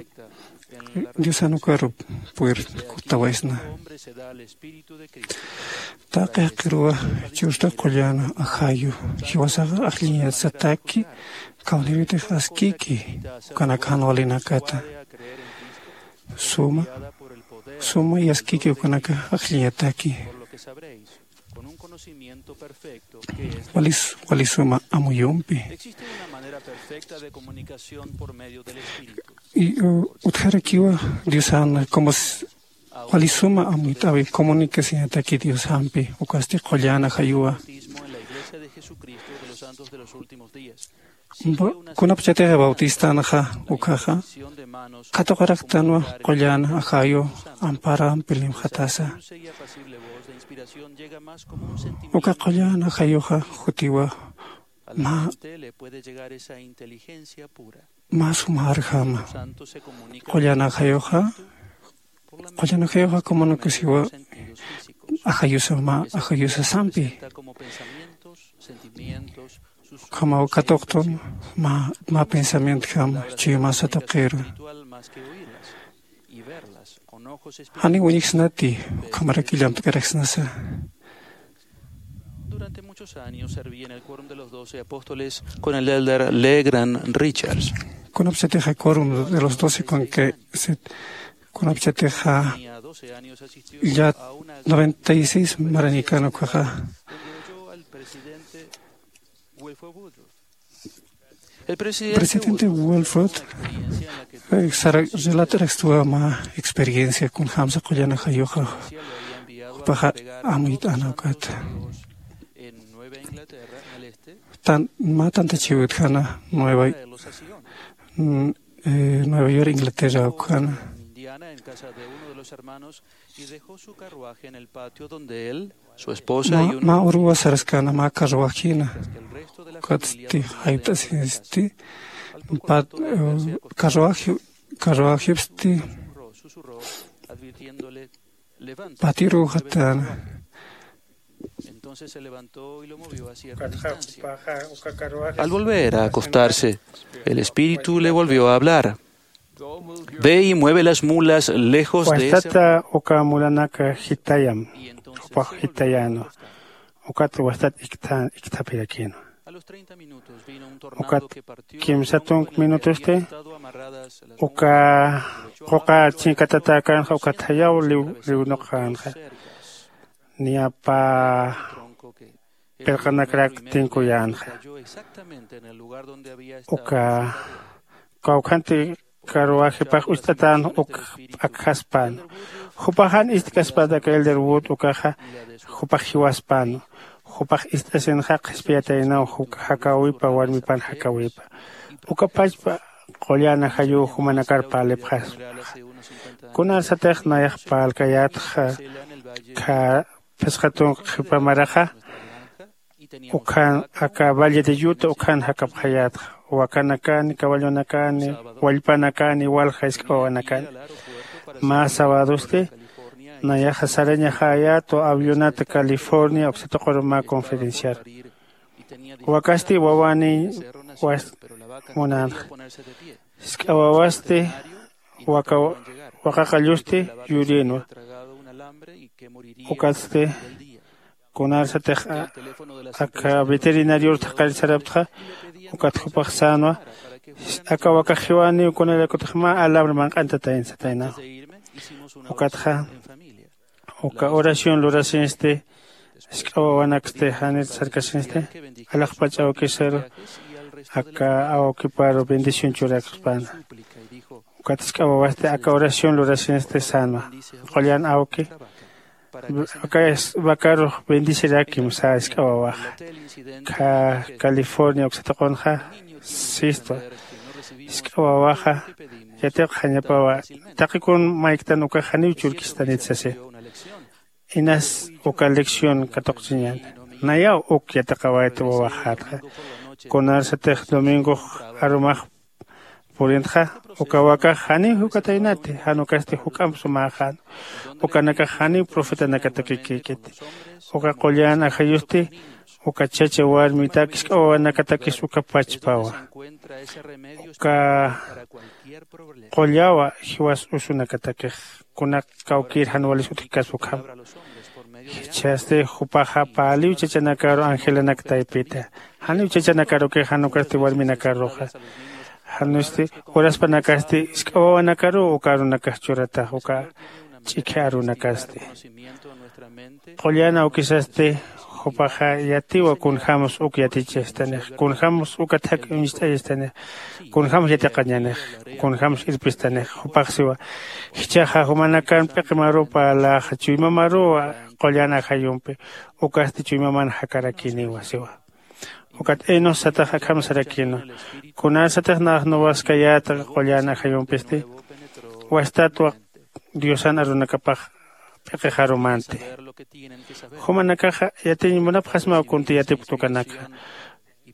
diosan ukaru puertawaysna. Taqi jaqiruwa chusta qullan ajayu jiwasaxa ajlliñasataki. Kawnirutix askiki ukanaka jan walinakata suma suma yaskiki ukanaka ajlliñataki. Walisuma amuyumpi utjarakiwa diosana como walisuma amuyt'awi comunicacionataki diosampi ukasti qullana jayuwa. Kunapchatixa bautistanxa ukhaxa katuqaraktanwa qullan ajayu amparampi limxatasa. Uka qullan ajayuxa jutiwa mä mä sumarjama. Qullan ajayuxa qullan ajayuxa comunicasiwa ajayusa mä ajayusasampi. Ukhamaw katuqtun mä mä pensamientjam chuymasatuqiru. Janiw uñjsnati ukhamaraki llamt'karaksnasa. Durante muchos años serví en el quórum de los doce apóstoles con el elder Legrand Richards. Kunapsatixa quórum de los doce con que se Kunapchatixa ya noventa y seis marañikan ukaxa. Presidente Wilford, eh, sara relataraxtuwa mä experiencia kunjamsa qullan ajayuxa jupaxa amuyt'ana ukata. Tan mä tantachiw utjana Nueva, mm, eh, Nueva York, Inglaterra ukjana. Mä, mä uruwa saraskana mä carruajina. Ukatsti jaypt'asinsti, pat, eh, carruaje, carruajepsti patiruxatana. Al volver a acostarse, el espíritu le volvió a hablar. Ve y mueve las mulas lejos de ese. Wastata uka mulanaka jitayam, jupax jitayänwa. Ukat wastat iktha, ikthapirakïnwa. Ukat kimsa tunk minutusti uka quqa chinkatatäkänxa, ukat jayaw liw, liwnuqänxa. Niya pä pirqanakrak tinkuyänxa. Uka kawkhanti carruajepax ucht'atän uk p'akjaspän. Jupax jan ist'kaspäta aka Elder Wood ukaxa, jupax jiwaspän. Jupax ist'asinxa qhispiyataynaw juk jakäwipa, warmipan jakäwipa. Uka pachpa qullan ajayuw jumanakar parlipxaspa. Kunarsatix nayax parlkayätxa, kha phisqa tunk qhipa maraxa, ukhan aka Valle de Utah ukhan jakapxayätxa, wakanakani, caballonakani, wallpanakani, walja jisk'a wawanakani. Mä sabadosti nayaxa sarañaxayätwa avionata California uksa tuquru mä conferenciar. Wakasti wawaniy was munänxa. Jisk'a wawasti waka, waqaqallusti yurïnwa. Ukatsti kunarsatix a, aka veterinarior thaqharit saraptxa, ukat jupax sänwa, aka wakax jiwaniw kunarakutix mä alambre manq'antatayna sataynawa. Ukatxa uka oración lurasinsti, jisk'a wawanaksti janir sarkasinsti, alaxpach awkisaru aka awkiparu bendición churakspäna. Ukat jisk'a wawasti aka oración lurasinsti sänwa, qullan awki, aka vacarux bendecirakim sä jisk'a wawaxa. Kha California uksa tuqunxa sistwa, jisk'a wawaxa yatiqxañapawa, taqi kun mayktan ukax janiw churkistanit sasi. Inas uka lección katuqchiñäni. Nayaw uk yatiqawayta wawaxätxa. Kunarsatix domingox arumax purintxa, uka wakax janiw jukataynati, jan ukasti juk'amp sumäxän. Ukanakax janiw profetanakatakikïkiti. Uka qullan ajayusti uka chacha warmitak jisk'a wawanakatakis uka pachpawa. Uka qullawa jiwas usunakatakix, kunak kawkïr jan walis utjkaspa ukham. Jichhasti jupaxa parliw chachanakaru angelanak taypita. Janiw chachanakarukix, jan ukasti warminakaruxa. Janusti uraspanakasti jisk'a wawanakaruw uka arunakax churatax, uka ch'ikhi arunakasti. Qullan awkisasti jupaxa yatiwa kunjämsa uk yatichastanix, kunjämsa uka thak uñst'ayastanix, kunjämsa yatiqañanix, kunjämsa irpistanix. Jupax siwa, jichhaxa jumanakan p'iqi maruw parlaxa, chuymamaruw qullan ajayumpi, ukasti chuymaman jakarakïniwa siwa. Ukat Enos satax akham sarakïnwa. Kunarsatix nax nuwaskayäta qullan ajayumpisti, wastatwa Diosan arunakapax p'iqixarumanti. Jumanakaxa yatiñ munapxasmaw kunti yatipkta ukanakxa.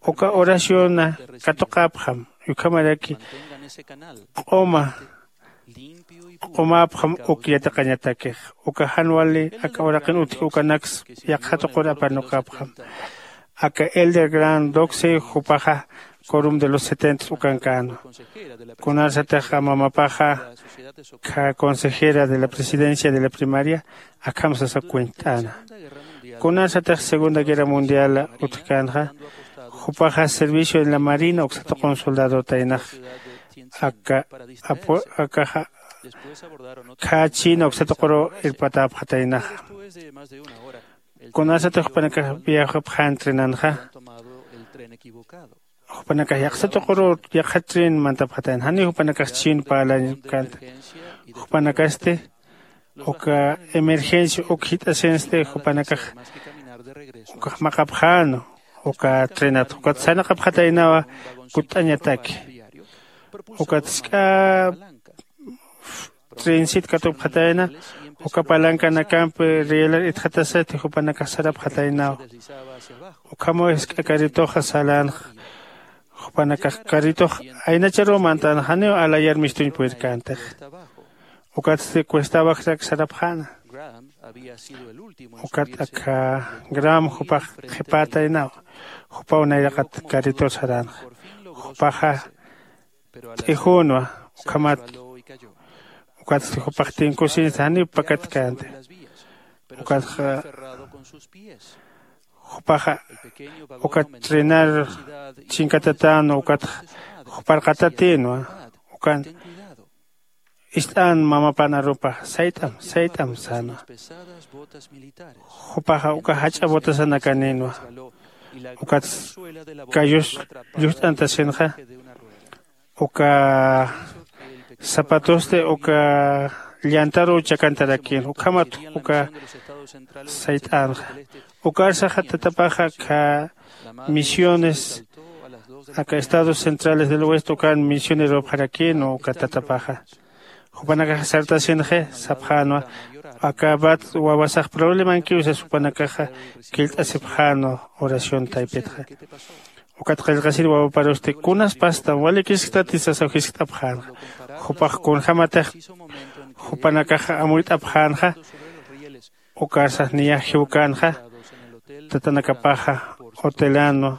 Uka oraciona katuqäpxam, ukhamaraki q'uma q'umäpxam uk yatiqañatakix. Uka jan wali aka uraqin utji ukanaks yaqha tuqur apanuqäpxam. Aka Elder Grant Doxey jupaxa Quórum de los Setenta ukankänwa. Kunarsatix mamapaxa kha consejera de la presidencia de la primaria, akham sasa cuent'äna. Kunarsatix Segunda Guerra Mundial utjkänxa, jupaxa servicio en la marina uksa tuqun soldadotaynax. aka apu akaxa khächïna uksa tuquru irpatäpxataynaxa. Kunasatix jupanakax viajapxän trenanxa, jupanakax yaqsa tuquru yaqha tren mantapxatayna, janiw jupanakax chhin parlañkänti. Jupanakasti uka emergencia uk jit'asinsti jupanakax ukax maqapxäna uka trenat ukat sarnaqapxataynawa kutt'añataki. Ukat sk'a trensit katupxatayna uka palankanakampi rielar itxatasati jupanakax sarapxataynawa. Ukhamaw jisk'a carritoxa salänxa. Jupanakax carritox aynacharuw mantän janiw alayar mistuñ purirkäntix. Ukatsti cuesta abajrak sarapxäna. Ukat aka gram jupax qhipätaynawa. Jupaw nayraqat carritor saränxa. Jupaxa t'ijünwa. Ukhamat ukatsti jupax tinkusinsa janiw pakatkänti. Ukatxa jupaxa ukat trenar chinkatatäna ukatxa juparqatatïnwa. Ukan ist'an mamapan arupa sayt'am sayt'am sänwa. Jupaxa uka jach'a botasanakanïnwa. Ukat kayus llucht'antasinxa uka zapatosti uka llantaruw chakantarakïn ukhamat uka sayt'änxa. Ukarsaxa tatapaxa kha misiones aka estados centrales del oeste ukan misionerupxarakïn uka tatapaxa. Jupanakax sartasinxi sapxänwa aka bat wawasax problemankiw sas jupanakaxa killt'asipxänwa. Oración taypitxa ukat qillqasin wawaparusti kunas pastam walikisktat isasaw jiskt'apxänxa. Jupax kunjämatix jupanakaxa amuyt'apxänxa. Ukarsax niyax jiwkänxa tatanakapaxa hotelanwa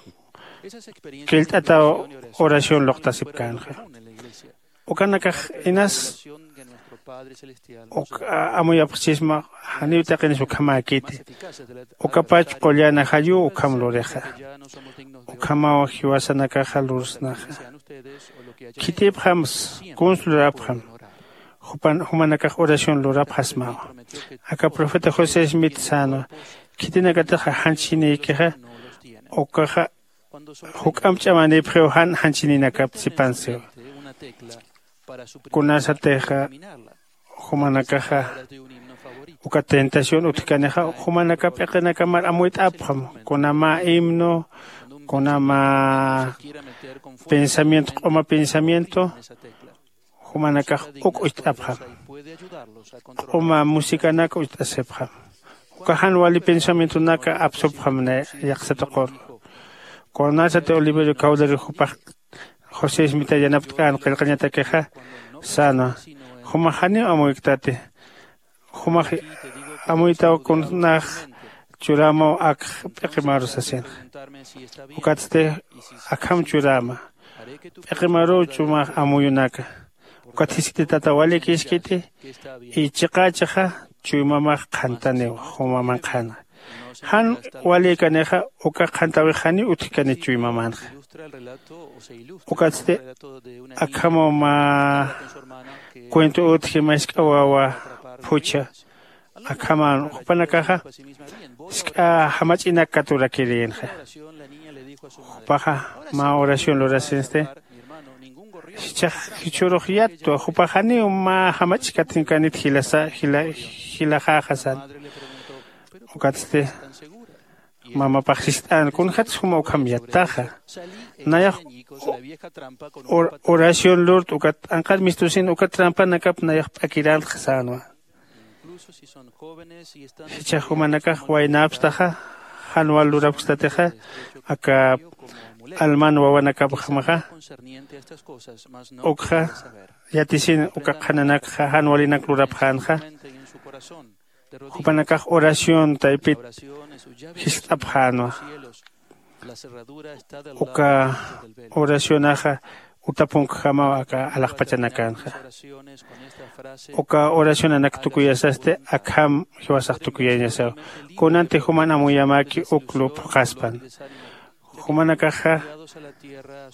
killt'ataw oración luqtasipkänxa. Ukanakax inas uk amuyapxchisma janiw taqinis ukhamäkiti. Ukapach qullan ajayuw ukham lurixa. Ukhamaw jiwasanakaxa lursnaxa. Khitipxamsa kuns lurapxam. Jumanakax oración lurapxasmawa. Aka profeta josé smith sänwa khitinakatix janchsinïkixa ukaxa juk'amp ch'amanïpxiw jan janchsinïnakap sipansiwa. Kunasatixa jumanakaxa uka tentación utjkanixa jumanakap p'iqinakamar amuyt'apxam. Kuna mä himno kuna mä pensamiento q'uma pensamiento jumanakax uk ucht'apxam. Q'uma musicanak ucht'asipxam. Uka jan wali pensamientonaka apsupxam nay yaqsa tuquru. Kunasati oliverio cawdari jupax josé smita yanapt'kän qillqañatakixa sänwa. Jumax janiw amuykitati. Jumax amuytaw kunax churämaw akx p'iqimaru sasinxa. Ukatsti akham churäma p'iqimaruw chumax amuyunaka. Ukat jiskiti tata walikiskiti y chiqächixa chuymamax qhantaniw jumaman qhana. Jan walïkanixa uka qhantawix janiw utjkani chuymamanxa. Ukatsti akhamaw mä cuento utji mask'a wawa phuchha akhaman jupanakaxa sk'a jamach'inak katurakirïnxa. Jupaxa mä oración lurasinsti jichhax jichhürux yattwa jupax janiw mä jamach'katinkanit jilaxäxa san. Ukatsti mamapax sist'än kunjats juma ukham yattaxa. Nayax oración lurt ukat anqar mistusin uka trampanakap nayax p'akirantxa sänwa. Jichhax jumanakax waynäpstaxa jan wal lurapkstatixa aka alman wawanakapxamaxa ukxa yatisin uka qhananakxa jan walinak lurapxänxa. Jupanakax oración taypit jiskt'apxänwa. Uka oracionaxa utapunkjamaw aka alaxpachanakanxa. Uka oracionanak tukuyasasti akham jiwasax tukuyañasaw. Kunanti juman amuyamaki uk lupxaspan Jumanakaxa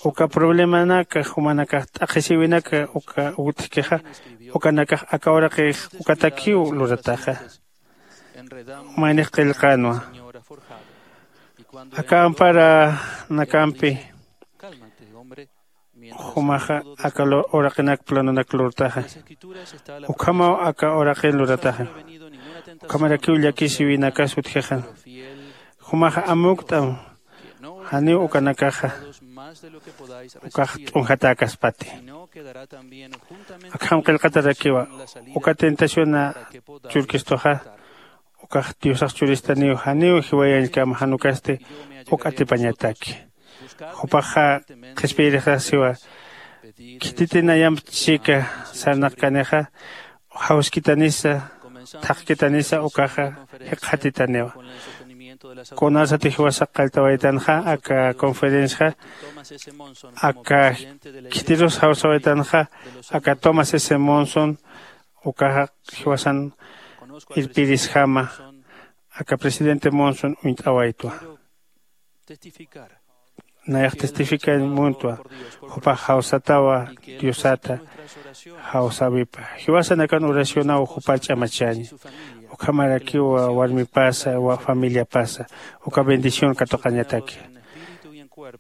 uka problemanaka, jumanakax t'aqhisiwinaka uka utjkixa, ukanakax aka uraqix ukatakiw lurataxa. Maynix qillqanwa. Aka amparanakampi jumaxa aka lu- uraqinak planonak lurtaxa. Ukhamaw aka uraqin lurataxa. Ukhamarakiw llakisiwinakas utjixan. Jumaxa amukt'am, janiw ukanakaxa ukax t'unjatäkaspati. Akham qillqatarakiwa, uka tentaciona churkistuxa, ukax Diosax churistaniw, janiw jiwayañkama, jan ukasti uk atipañataki. Jupaxa qhispiyirixasiwa, khititi nayamp chika sarnaqkanixa, jawskitanisa, thaqkitanisa ukaxa jikxatitaniwa. Kunasati jiwasax qalltawaytanxa aka conferenciaxa, aka khitirus jawsawaytanxa aka Thomas S Monson, ukaxa jiwasan irpirisjama, aka presidente Monson uñt'awaytwa. Nayax testificañ muntwa, jupax jawsatawa Diosata jawsäwipa. Jiwasanakan oracionaw jupar ch'amachaña. Ukhamarakiwa warmipasa, wa familiapasa uka bendición katuqañataki.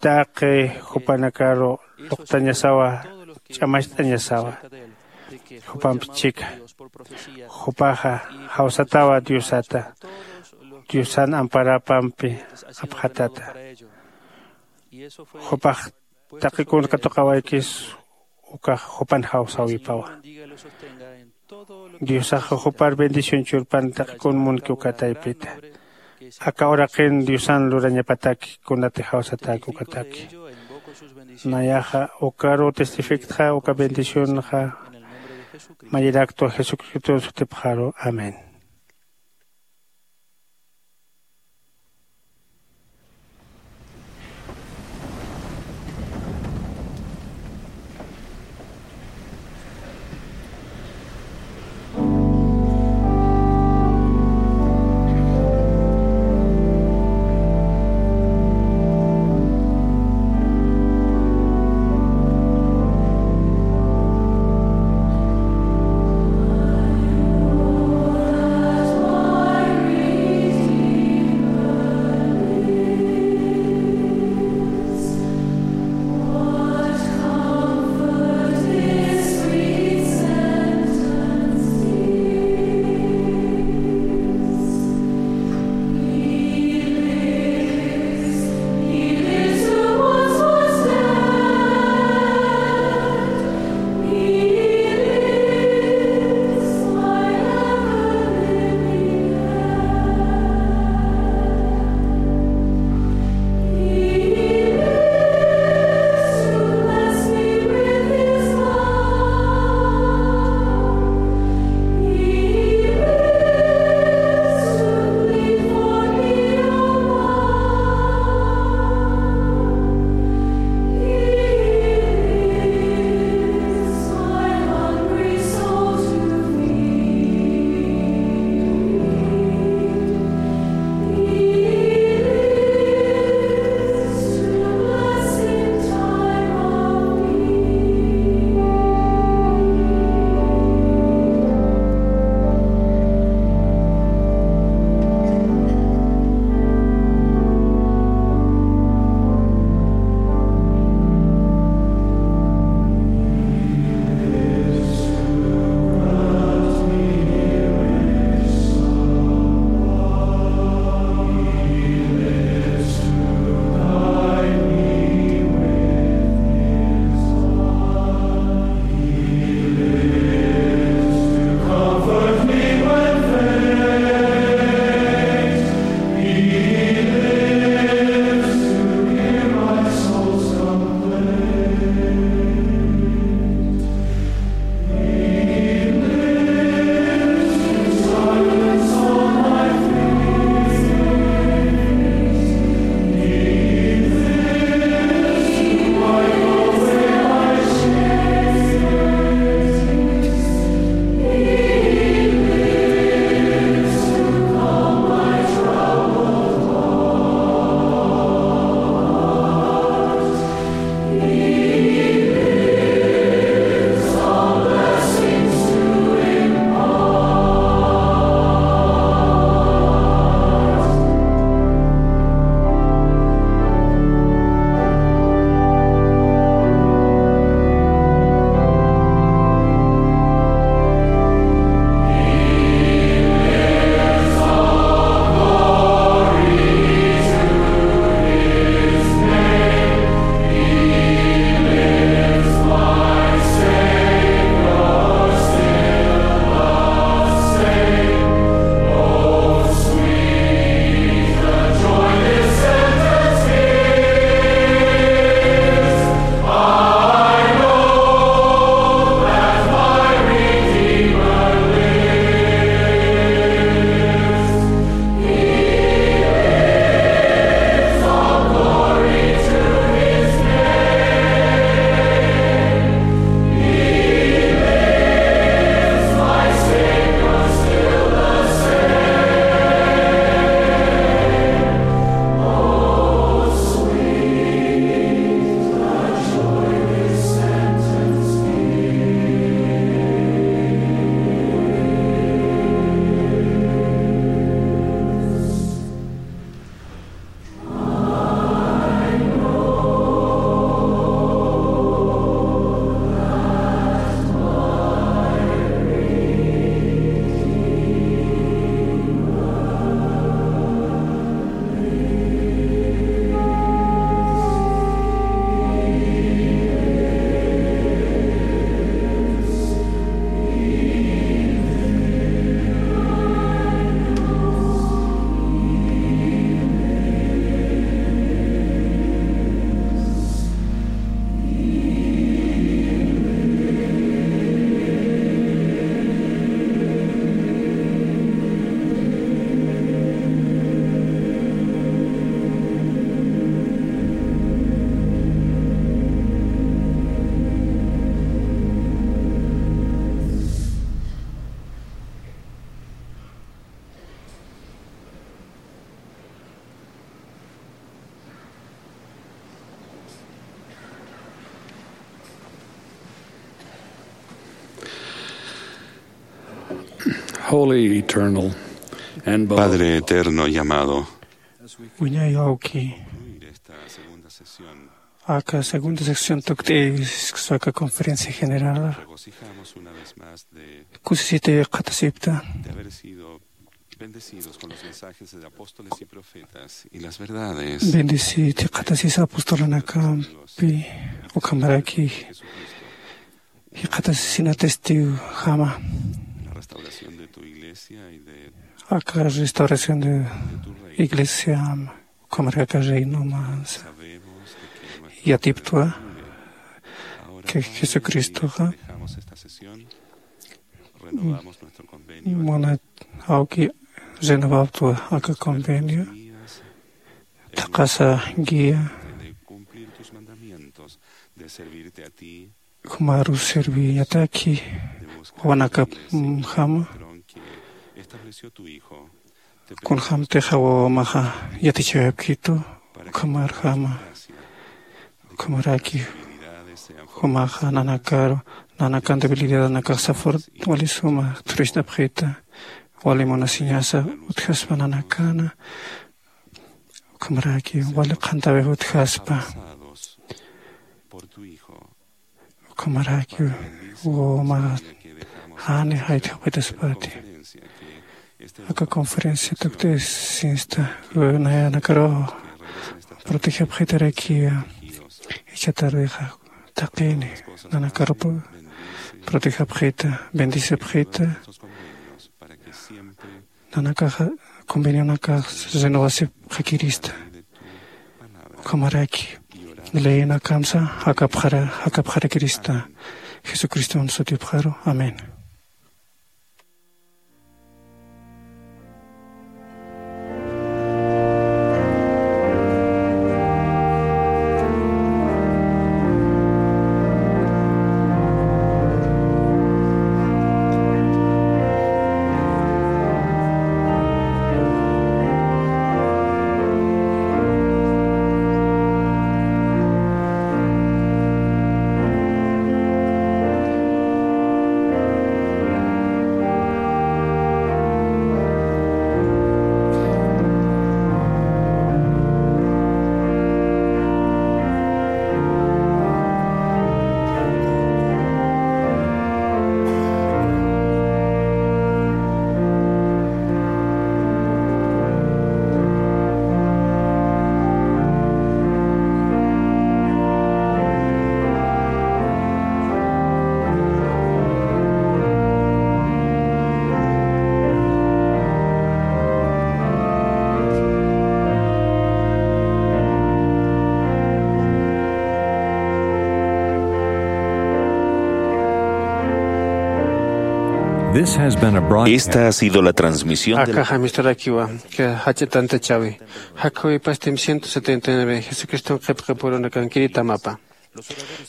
Taqi jupanakaru luqtañasawa, ch'amacht'añasawa. Jupamp chika. Jupaxa jawsatawa Diosata, Diosan amparapampi apxatata. Jupax taqi kun katuqawaykis ukax jupan jawsäwipawa. Diosax jupar bendición churpan taqi kun munki uka taypita. Aka uraqin Diosan lurañapataki kunati jawsatäki ukataki. Nayaxa ukaru testifiktxa uka bendicionxa mayiraktwa Jesucristo sutipxaru. Amén. Holy, eternal, and beloved Padre eterno y amado, wiñay awki, esta segunda sesión aka segunda sección tukt'is aka conferencia general. Regocijamos una vez más de kusisiti qhatasipta de haber sido bendecidos con los mensajes de apóstoles y profetas y las verdades bendeciti qhatasisa apostolanakampi, ukhamaraki Jesucristo. Jikxatasisina testigo jama. La restauración de tu iglesia y de aka restauración de iglesia, ukhamaraki aka reino mas sabemos de que nuestro yatiptwa, ahora que Jesucristoxa dejamos esta sesión, renovamos nuestro convenio. Muna awki renovaptwa aka convenio, thaqasa guía de cumplir tus mandamientos, de servirte a ti, jumaru serviyataki wawanakap, mm, jama. Kunjämtixa wawamaxa yatichäwayapkitu, ukhamar jama, ukhamaraki jumaxa nanakaru, nanakan debilidadanakaxa fort wali suma thurist'apxita, wali munasiñasa utjaspa nanakana, ukhamaraki wali qhantäwix utjaspa. Ukhamaraki wawamaxa jani jayt'apxitaspati. Aka conferencia tukt'is sinsta, nayanakaru protegepxitaraki, jichhatarwixa thaqini nanakaru protegepxita, bendecipxita. Nanakaxa convenionakax renovasipxakirista. Ukhamaraki leyinakamsa jakapxara, jakapxarakirista. Jesucriston sutipxaru. Amén. This has been a broadcast. Esta ha sido la transmisión de la Akaxa misturakiwa, que jach'a tantachäwi. Jakawipastim ciento setenta y nueve, Jesucriston qhipqipurunakankiritamapa.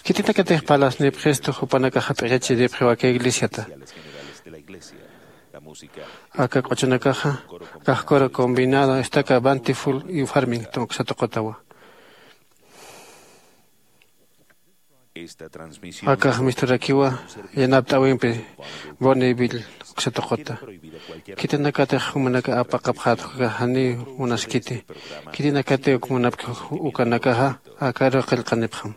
Khitinakatix parlasnipxistu jupanakaxa p'iqachiripxiwa aka iglesiata. Aka q'uchunakaxa, kax coro combinado, estaca Bountiful y Farmington uksa tuqutawa. Akax misturakiwa, yanapt'äwimpi Bonneville uksa tuquta. Khitinakatix jumanaka apaqapxätwa, janiw munaskiti. Khitinakatix uk munapki ukanakaxa, akaru qillqanipxam.